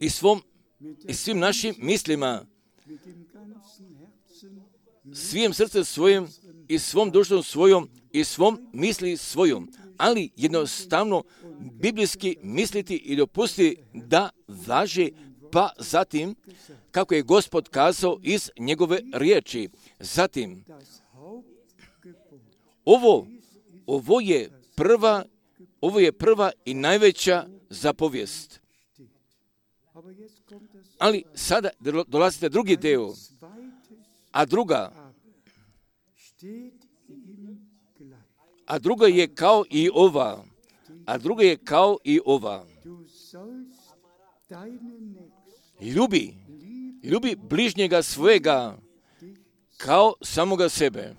i svom i svim našim mislima, svim srcem svojim i svom dušom svojom i svom misli svojom. Ali jednostavno biblijski misliti i dopusti da važe, pa zatim kako je Gospod kazao iz njegove riječi. Zatim, ovo, ovo je prva, ovo je prva i najveća zapovijest. Ali sada dolazite drugi deo, a druga, a druga je kao i ova, a druga je kao i ova. Ljubi, ljubi bližnjega svojega kao samoga sebe.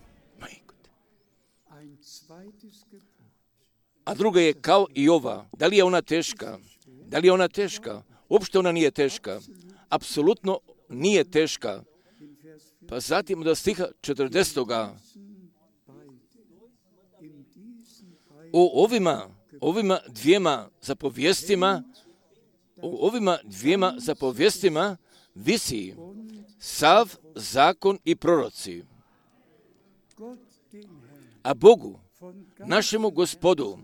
A druga je kao i ova. Da li je ona teška? Da li je ona teška? Uopšte ona nije teška. Apsolutno nije teška. Pa zatim od stiha četrdesetoga. O ovima, ovima dvijema zapovjestima, o ovima dvijema zapovjestima visi sav zakon i proroci. A Bogu, našemu Gospodu,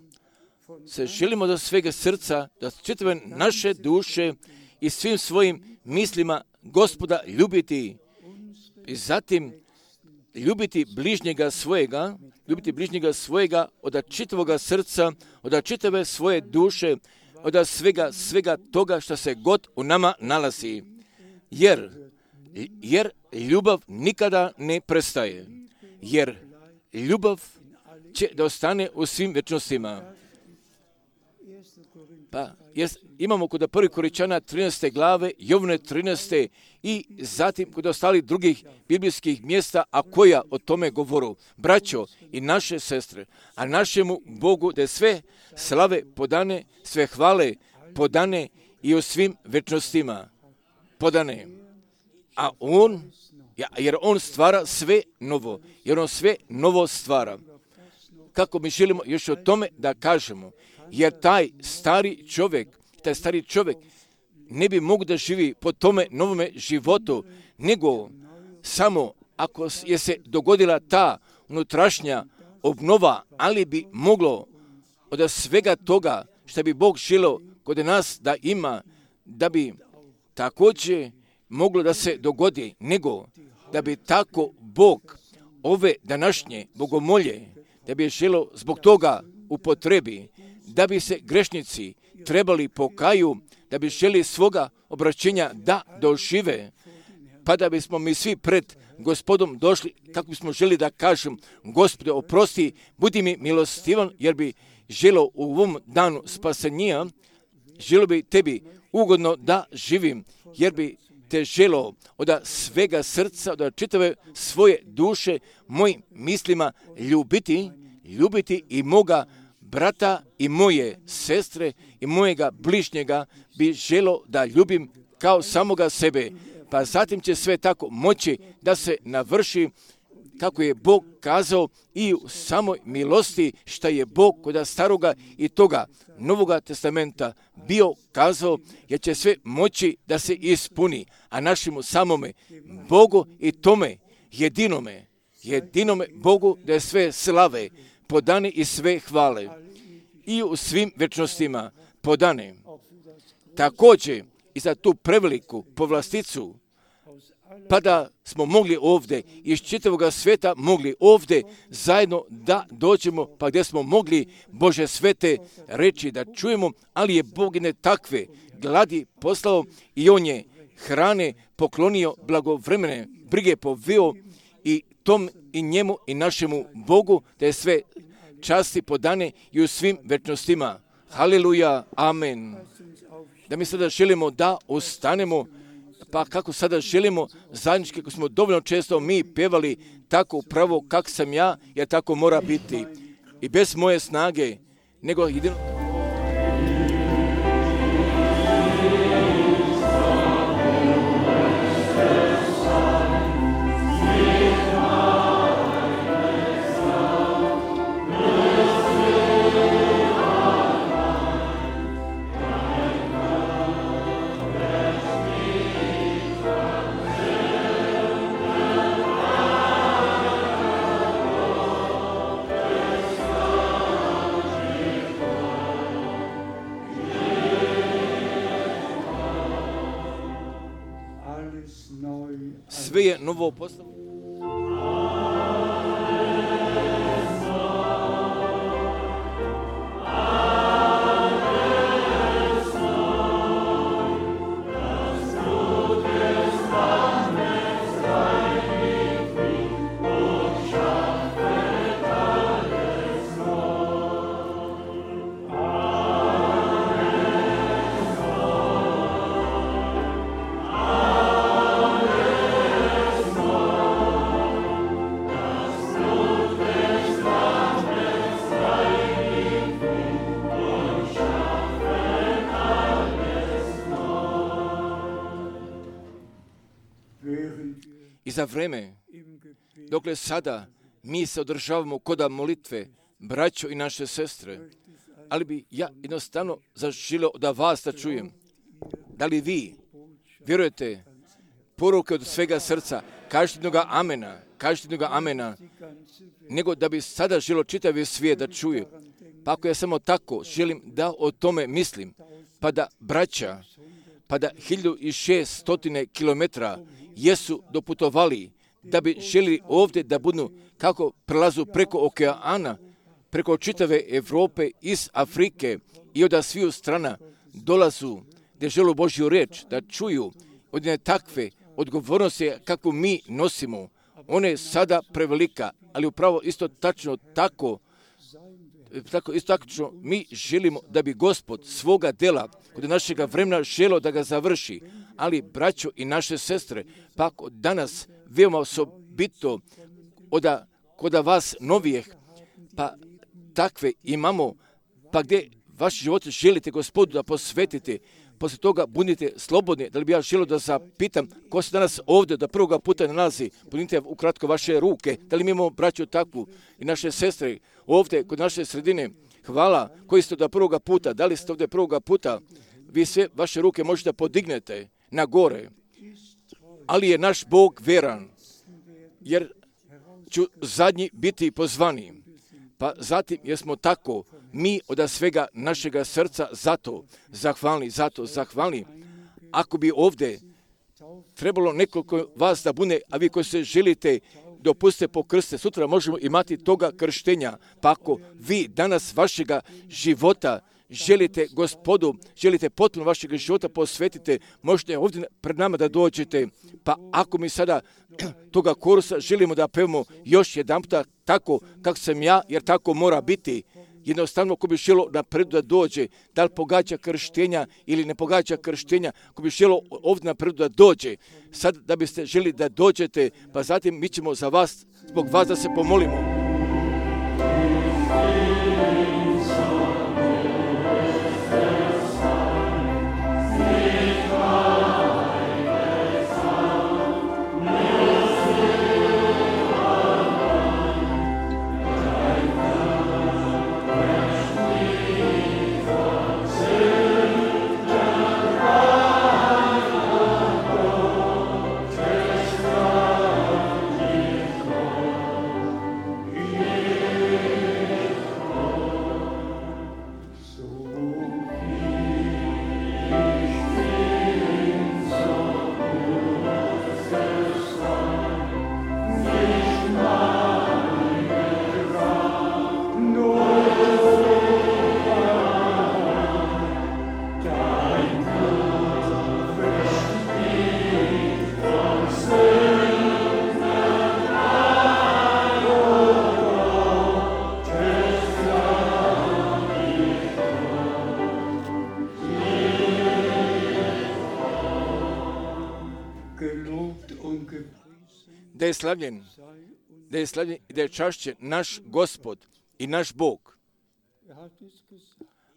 se želimo do svega srca, da čitave naše duše i svim svojim mislima Gospoda ljubiti i zatim ljubiti bližnjega svojega, ljubiti bližnjega svojega od čitavoga srca, od čitave svoje duše, od svega, svega toga što se god u nama nalazi. Jer, jer ljubav nikada ne prestaje. Jer ljubav će da ostane u svim večnostima. Pa, jes, imamo kod prvi Koričana trinaeste glave, Jovne trinaeste i zatim kod ostalih drugih biblijskih mjesta, a koja o tome govoru. Braćo i naše sestre, a našemu Bogu da sve slave podane, sve hvale podane i u svim večnostima podane. A on, jer on stvara sve novo, jer on sve novo stvara. Kako mi želimo još o tome da kažemo, jer taj stari čovjek, taj stari čovjek ne bi mogu da živi po tome novome životu, nego samo ako je se dogodila ta unutrašnja obnova, ali bi moglo od svega toga što bi Bog želio kod nas da ima, da bi također moglo da se dogodi, nego da bi tako Bog ove današnje bogomolje, da bi je želio zbog toga upotrebi, da bi se grešnici trebali pokaju, da bi želi svoga obraćenja da dožive, pa da bismo mi svi pred Gospodom došli, kako bismo želi da kažem, Gospode, oprosti, budi mi milostivan, jer bi želo u ovom danu spasenja, želo bi tebi ugodno da živim, jer bi te želo od svega srca, od čitave svoje duše, mojim mislima ljubiti, ljubiti i moga brata i moje sestre i mojega bližnjega bi želo da ljubim kao samoga sebe. Pa zatim će sve tako moći da se navrši kako je Bog kazao i u samoj milosti šta je Bog kod staroga i toga Novoga testamenta bio kazao, jer će sve moći da se ispuni, a našemu samome Bogu i tome jedinome, jedinome Bogu da je sve slave podane i sve hvale i u svim večnostima podane. Također i za tu preveliku povlasticu, pa da smo mogli ovdje iz čitavoga sveta mogli ovdje zajedno da dođemo, pa gdje smo mogli Bože svete reći da čujemo, ali je Bog ne takve gladi poslao i on je hrane poklonio, blagovremene brige poveo i tom i njemu i našemu Bogu da je sve časti podane i u svim večnostima. Haleluja, amen. Da mi sada želimo da ostanemo, pa kako sada želimo zajednički, kako smo dovoljno često mi pevali tako upravo kak sam ja, jer tako mora biti. I bez moje snage, nego jedino... Sve je novo postavljeno. I za vreme, dokle sada mi se održavamo koda molitve, braćo i naše sestre, ali bi ja jednostavno zaželio da vas da čujem. Da li vi vjerujete poruke od svega srca, kažete jednoga amena, kažete jednoga amena, nego da bi sada želio čitavi svijet da čuje. Pa ako ja samo tako želim da o tome mislim, pa da braća, pa da hiljadu šesto kilometara jesu doputovali da bi želi ovdje da budu kako prelazu preko okeana, preko čitave Evrope, iz Afrike i od sviju strana dolazu gdje žele Božju riječ da čuju od jedne takve odgovornosti kako mi nosimo. Ona je sada prevelika, ali upravo isto tačno tako, tako isto tačno mi želimo da bi Gospod svoga dela kod našega vremena želio da ga završi. Ali, braćo i naše sestre, pa danas veoma osobito od kod vas novijeh, pa takve imamo, pa gdje vaš život želite Gospodu da posvetite, poslije toga budite slobodni. Da li bi ja želio da zapitam ko se danas ovdje da prvoga puta nalazi, budite ukratko vaše ruke, da li mi imamo braću takvu i naše sestre ovdje kod naše sredine, hvala, koji ste da prvoga puta, da li ste ovdje prvoga puta, vi sve vaše ruke možete podignete na gore, ali je naš Bog veran, jer ću zadnji biti pozvani. Pa zatim, jer smo tako, mi od svega našega srca zato zahvalni, zato zahvalni. Ako bi ovdje trebalo nekoliko vas da bude, a vi koji se želite dopustite pokrste, sutra možemo imati toga krštenja. Pa ako vi danas vašega života želite Gospodu, želite potpuno vašeg života posvetite, možete ovdje pred nama da dođete. Pa ako mi sada toga korusa želimo da pevamo još jedan puta tako kako sam ja, jer tako mora biti. Jednostavno, ko bi želo napred da dođe, da li pogađa krštenja ili ne pogađa krštenja, ko bi želo ovdje napred da dođe, sad da biste želi da dođete, pa zatim mi ćemo za vas, zbog vas da se pomolimo. da je slavljen, da je slavljen i da je čašćen naš Gospod i naš Bog.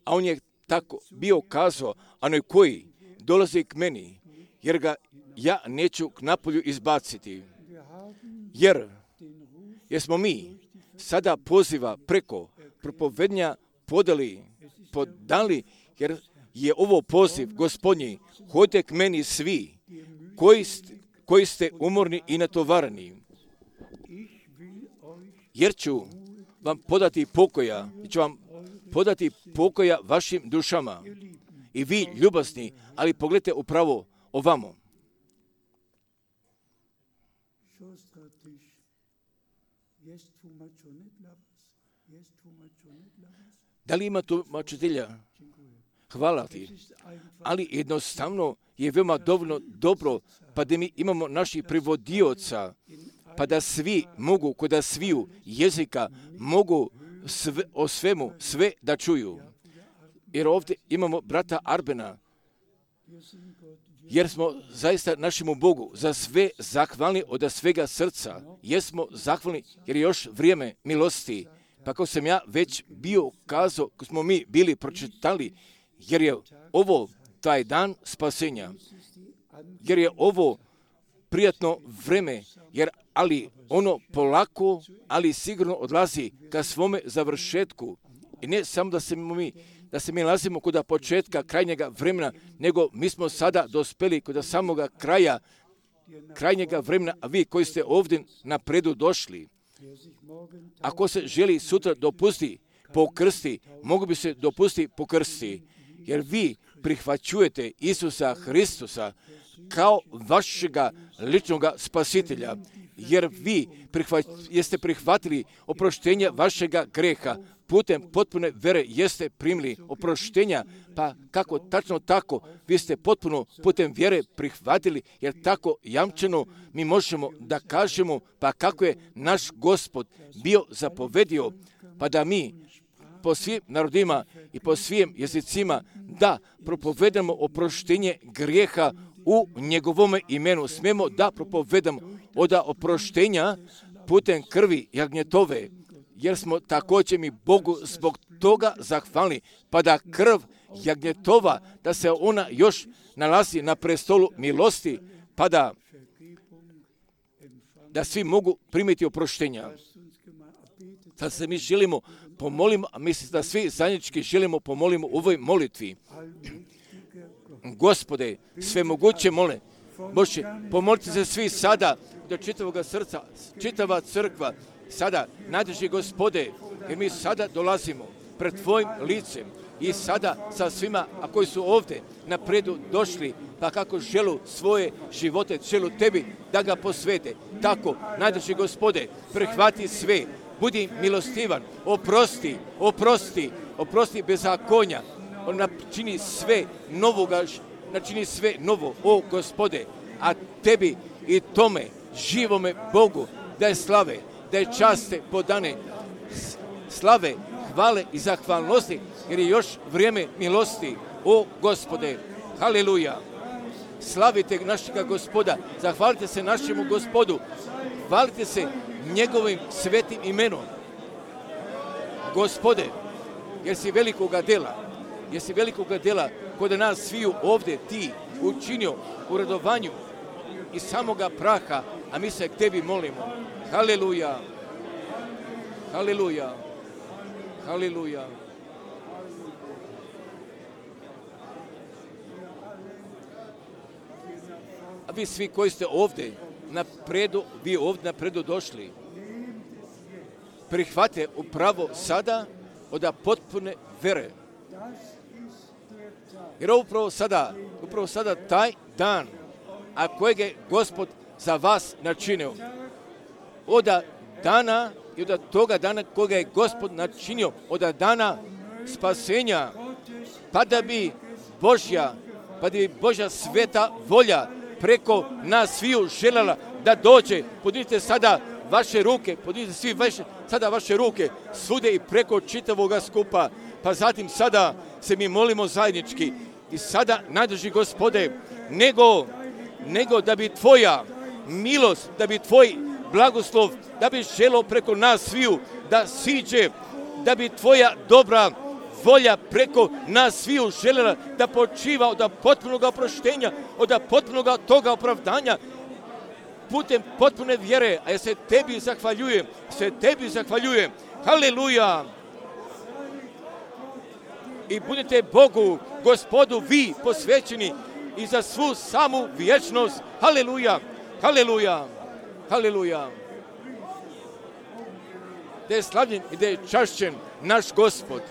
A on je tako bio kazao, onaj koji dolazi k meni, jer ga ja neću k napolju izbaciti. Jer, jer smo mi sada poziva preko propovednja podali, podali, jer je ovo poziv Gospodnji, hodite k meni svi, koji ste, koji ste umorni i natovarani, jer ću vam podati pokoja, ću vam podati pokoja vašim dušama. I vi, ljubazni, ali pogledajte upravo ovamo. Da li ima tu mačitelja? Hvala ti. Ali jednostavno je veoma dovoljno dobro, pa da mi imamo naših prevodioca, pa da svi mogu, kod da sviju jezika, mogu sve, o svemu sve da čuju. Jer ovdje imamo brata Arbena, jer smo zaista našemu Bogu za sve zahvalni od svega srca. Jesmo zahvalni jer je još vrijeme milosti. Pa kao sam ja već bio kazao, ko smo mi bili pročitali, jer je ovo taj dan spasenja, jer je ovo prijatno vreme, jer ali ono polako, ali sigurno odlazi ka svome završetku. I ne samo da se mi, da se mi nalazimo kod početka krajnjega vremena, nego mi smo sada dospeli kod samoga kraja, krajnjega vremena, a vi koji ste ovdje napredu došli, ako se želi sutra dopusti pokrsti, mogu bi se dopusti pokrsti, jer vi prihvaćujete Isusa Hristusa kao vašega ličnoga spasitelja, jer vi prihvat, jeste prihvatili oproštenje vašega greha, putem potpune vere jeste primili oproštenja, pa kako tačno tako, vi ste potpuno putem vjere prihvatili, jer tako jamčeno mi možemo da kažemo, pa kako je naš Gospod bio zapovedio, pa da mi po svim narodima i po svim jezicima da propovedamo oproštenje grijeha u njegovome imenu. Smemo da propovedamo od oproštenja putem krvi jagnjetove, jer smo također mi Bogu zbog toga zahvalni, pa da krv jagnjetova, da se ona još nalazi na prestolu milosti, pa da, da svi mogu primiti oproštenja. Sad se mi želimo pomolimo, a mislim da svi zajednički želimo pomolimo u ovoj molitvi. Gospode, sve moguće mole, Bože, pomolite se svi sada do čitavoga srca, čitava crkva, sada, najdraži Gospode, jer mi sada dolazimo pred Tvojim licem i sada sa svima, a koji su ovdje napredu došli, pa kako želu svoje živote, želu Tebi da ga posvete. Tako, najdraži Gospode, prihvati sve, budi milostivan, oprosti, oprosti, oprosti bezakonja, on načini sve novoga, načini sve novo, o Gospode, a Tebi i tome živome Bogu da je slave, da je časte podane, slave, hvale i zahvalnosti, jer je još vrijeme milosti, o Gospode, haleluja. Slavite našega Gospoda, zahvalite se našemu Gospodu, hvalite se njegovim svetim imenom. Gospode, jer si velikoga dela, jer si velikoga dela kod nas sviju ovdje ti učinio u radovanju i samoga praha, a mi se k Tebi molimo. Haleluja, haleluja, haleluja. A vi svi koji ste ovdje napredu, vi ovdje napredu došli, prihvate upravo sada od potpune vere. Jer upravo sada, upravo sada taj dan, a kojeg je Gospod za vas načinio, od dana i od toga dana koga je Gospod načinio, od dana spasenja, pa da bi Božja, pa da bi Božja sveta volja preko nas sviju željela da dođe. Podignite sada vaše ruke, podignite svi vaše, sada vaše ruke svude i preko čitavoga skupa, pa zatim sada se mi molimo zajednički i sada, najdraži Gospode, nego nego da bi tvoja milost, da bi tvoj blagoslov, da bi želo preko nas sviju da siđe, da bi tvoja dobra volja preko nas sviju željela da počiva od potpunog oproštenja, od potpunog toga opravdanja, putem potpune vjere, a ja se tebi zahvaljujem, se tebi zahvaljujem. Haleluja! I budite Bogu, Gospodu, vi posvećeni i za svu samu vječnost. Haleluja! Haleluja! Haleluja! Da je slavljen i da je čašćen naš Gospod,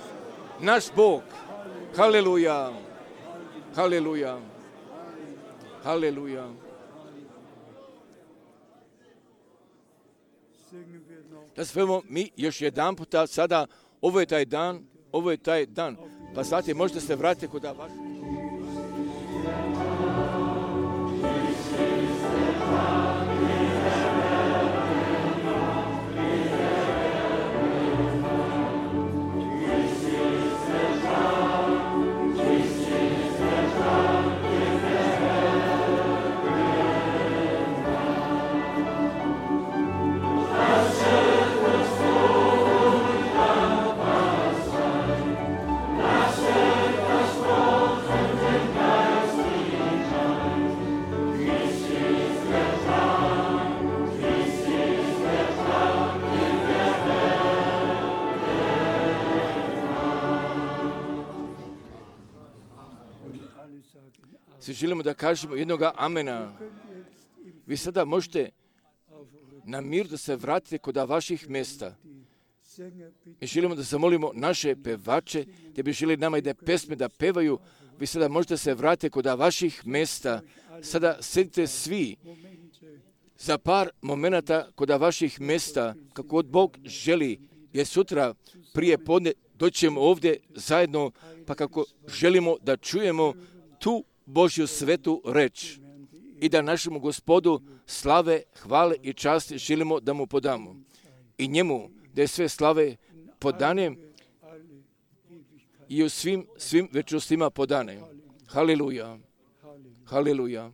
naš Bog. Haleluja! Haleluja! Haleluja! Da svemo mi još jedan puta sada, ovo je taj dan, ovo je taj dan. Pa znate, možete se vratiti kod vaš. Svi želimo da kažemo jednoga amena. Vi sada možete na mir da se vratite kod vaših mjesta. Mi želimo da zamolimo naše pevače, gdje bi želi nama jedne pesme da pevaju. Vi sada možete se vratiti kod vaših mjesta. Sada sedite svi za par momenata kod vaših mjesta, kako god Bog želi, jer sutra prije podne doćemo ovdje zajedno, pa kako želimo da čujemo tu Božju svetu reč i da našemu Gospodu slave, hvale i časti želimo da mu podamo. I njemu da je sve slave podane i u svim, svim večnostima podane. Haleluja. Haleluja.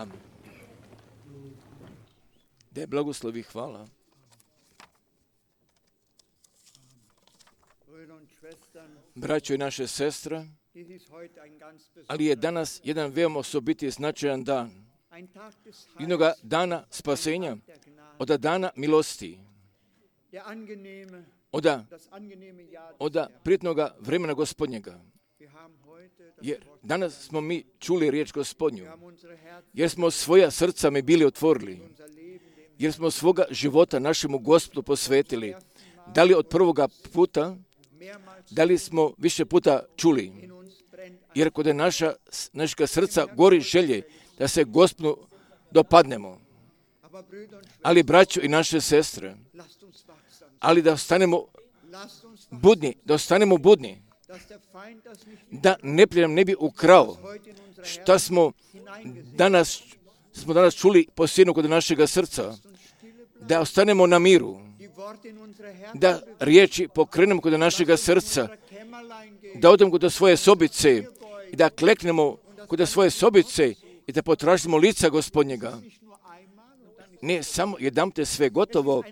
Amen. Da je blagoslovi, hvala. Braćo i naše sestre, ali je danas jedan veoma osobiti značajan dan. Jednoga dana spasenja, od dana milosti, od, od prijetnoga vremena Gospodnjega. Jer danas smo mi čuli riječ Gospodnju, jer smo svoja srca mi bili otvorili, jer smo svoga života našemu Gospodu posvetili. Da li od prvoga puta, da li smo više puta čuli, jer kod je naša, našega srca gori želje da se Gospodu dopadnemo. Ali braćo i naše sestre, ali da ostanemo budni, da ostanemo budni, da neprijatelj ne bi ukrao šta smo danas, smo danas čuli posljedno kod našega srca, da ostanemo na miru, da riječi pokrenemo kod našega srca, da odemo kod svoje sobice i da kleknemo kod svoje sobice i da potražimo lica Gospodnjega. Ne samo jedan te sve gotovo,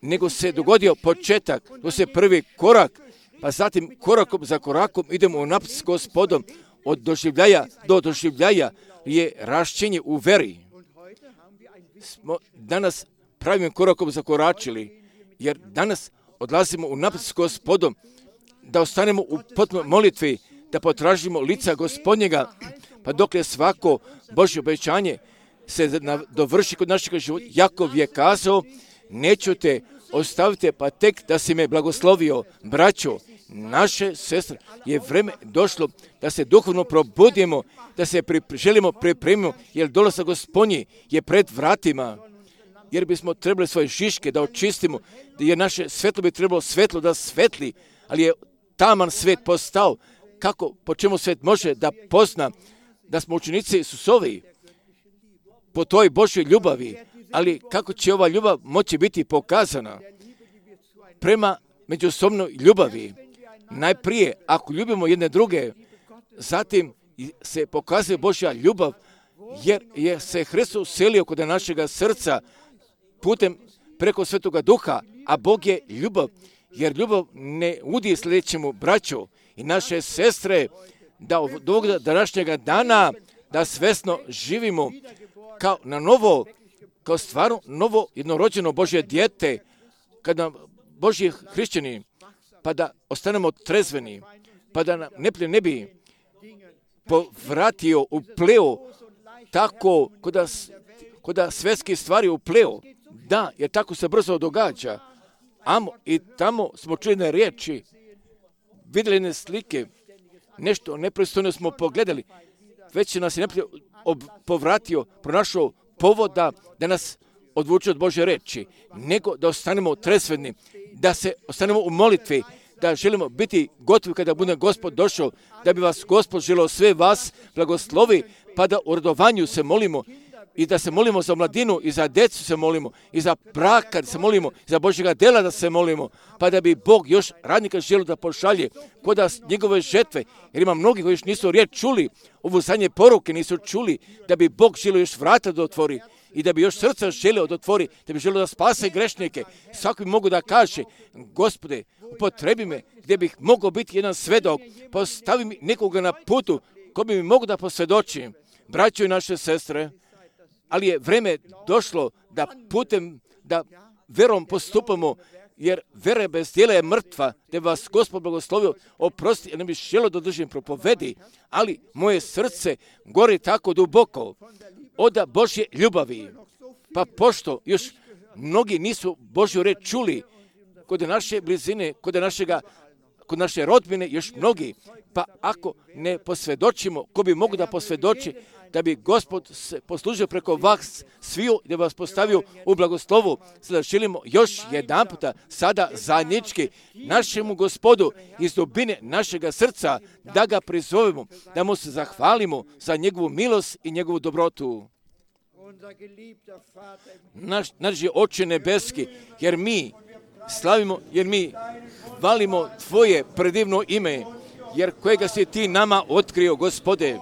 nego se dogodio početak, to se prvi korak, pa zatim korakom za korakom idemo u napred s Gospodom, od doživljaja do doživljaja je rašćenje u veri. Smo danas pravim korakom zakoračili, jer danas odlazimo u napred s Gospodom, da ostanemo u potpunoj molitvi, da potražimo lica Gospodnjega, pa dok je svako Božje obećanje se dovrši kod našeg života. Jakov je kazao, neću te ostaviti, pa tek da si me blagoslovio. Braćo, naše sestre, je vreme došlo da se duhovno probudimo, da se pripre, želimo pripremimo, jer dolazak Gospodnji je pred vratima, jer bismo trebali svoje šiške da očistimo, jer naše svetlo bi trebalo svetlo da svetli, ali je taman svet postao. Kako, po čemu svet može da pozna da smo učenici Isusovi po toj Božoj ljubavi, ali kako će ova ljubav moći biti pokazana prema međusobnoj ljubavi? Najprije, ako ljubimo jedne druge, zatim se pokazuje Božja ljubav, jer je se Hristos uselio kod našega srca putem preko Svetoga Duha, a Bog je ljubav, jer ljubav ne udi sljedećemu braću i naše sestre, da od ovog današnjega dana da svesno živimo kao na novo, kao stvarno novo jednorođeno Božje dijete, kada Božji hrišćani, pa da ostanemo trezveni, pa da nam neprijatelj ne bi povratio, upleo, tako koda, koda svetski stvari upleo. Da, jer tako se brzo događa. Amo i tamo smo čuli na riječi, vidjeli jedne slike, nešto nepristojno smo pogledali, već nas je neprijatelj povratio, pronašao povoda da nas odvuče od Božje reči, nego da ostanemo trezveni, da se ostanemo u molitvi, da želimo biti gotovi kada bude Gospod došao, da bi vas Gospod želeo sve vas blagoslovi, pa da u radovanju se molimo i da se molimo za mladinu i za djecu se molimo i za braka da se molimo, za Božjega dela da se molimo, pa da bi Bog još radnika želio da pošalje kod nas njegove žetve, jer ima mnogi koji još nisu riječ čuli, ovu zadnje poruke nisu čuli, da bi Bog želio još vrata da otvori i da bi još srca želio da otvori, da bi želio da spase grešnike. Svako bi mogu da kaže, Gospode, upotrebi me gdje bih mogao biti jedan svedok, postavi mi nekoga na putu ko bi mi mogu da posvjedočim. Braćo i naše sestre, ali je vreme došlo da putem, da verom postupamo, jer vera bez djela je mrtva, da bi vas Gospod blagoslovio, oprosti, jer ne bih želio da držim propovedi, ali moje srce gori tako duboko od Božje ljubavi. Pa pošto još mnogi nisu Božju reč čuli, kod naše blizine, kod našega, kod naše rodbine, još mnogi, pa ako ne posvjedočimo, ko bi mogu da posvjedoči, da bi Gospod se poslužio preko vas sviju, da bi vas postavio u blagoslovu. Sada želimo još jedan puta, sada zajednički, našemu Gospodu iz dubine našega srca, da ga prizovemo, da mu se zahvalimo za njegovu milost i njegovu dobrotu. Naš, naš je Oče nebeski, jer mi slavimo, jer mi hvalimo Tvoje predivno ime, jer kojega si Ti nama otkrio, Gospode.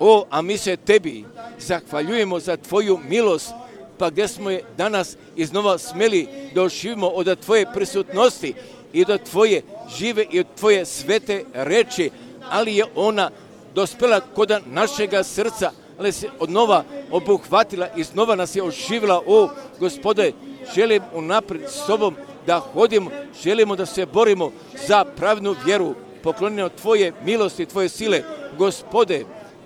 O, a mi se Tebi zahvaljujemo za Tvoju milost, pa gdje smo je danas iznova smeli da oživimo od Tvoje prisutnosti i do Tvoje žive i od Tvoje svete reči, ali je ona dospela kod našega srca, ali se od nova obuhvatila i znova nas je oživila. O Gospode, želim unaprijed s Tobom da hodimo, želimo da se borimo za pravednu vjeru, poklonjeno Tvoje milosti, Tvoje sile. Gospode,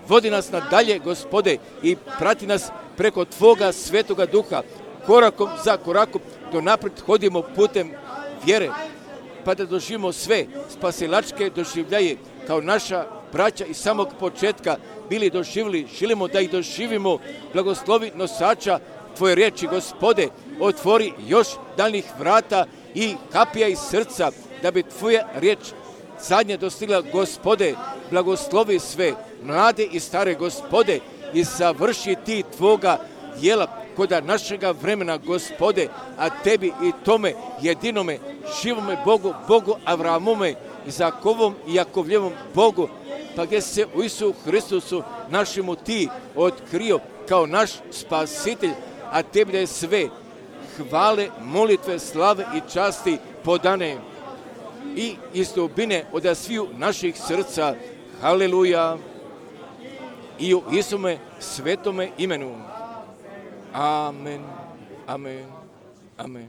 vodi nas nadalje, Gospode, i prati nas preko Tvoga svetoga duha, korakom za korakom, do naprijed hodimo putem vjere, pa da doživimo sve spasilačke doživljaje, kao naša braća iz samog početka bili doživjeli, želimo da ih doživimo. Blagoslovi nosača Tvoje riječi, Gospode, otvori još daljnih vrata i kapija iz srca, da bi Tvoja riječ zadnje dostigla, Gospode. Blagoslovi sve mlade i stare, Gospode, i završi Ti Tvoga djela koda našega vremena, Gospode, a Tebi i tome jedinome živome Bogu, Bogu Avramome, Izakovom i Jakovljevom Bogu, pa gdje se u Isu Hristusu našemu Ti otkrio kao naš spasitelj, a Tebi da je sve hvale, molitve, slave i časti podane i iz dubine od sviju naših srca. Haleluja. I u Isume svetome imenu. Amen, amen, amen.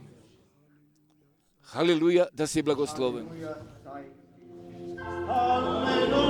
Haleluja, da si blagosloven. Haleluja,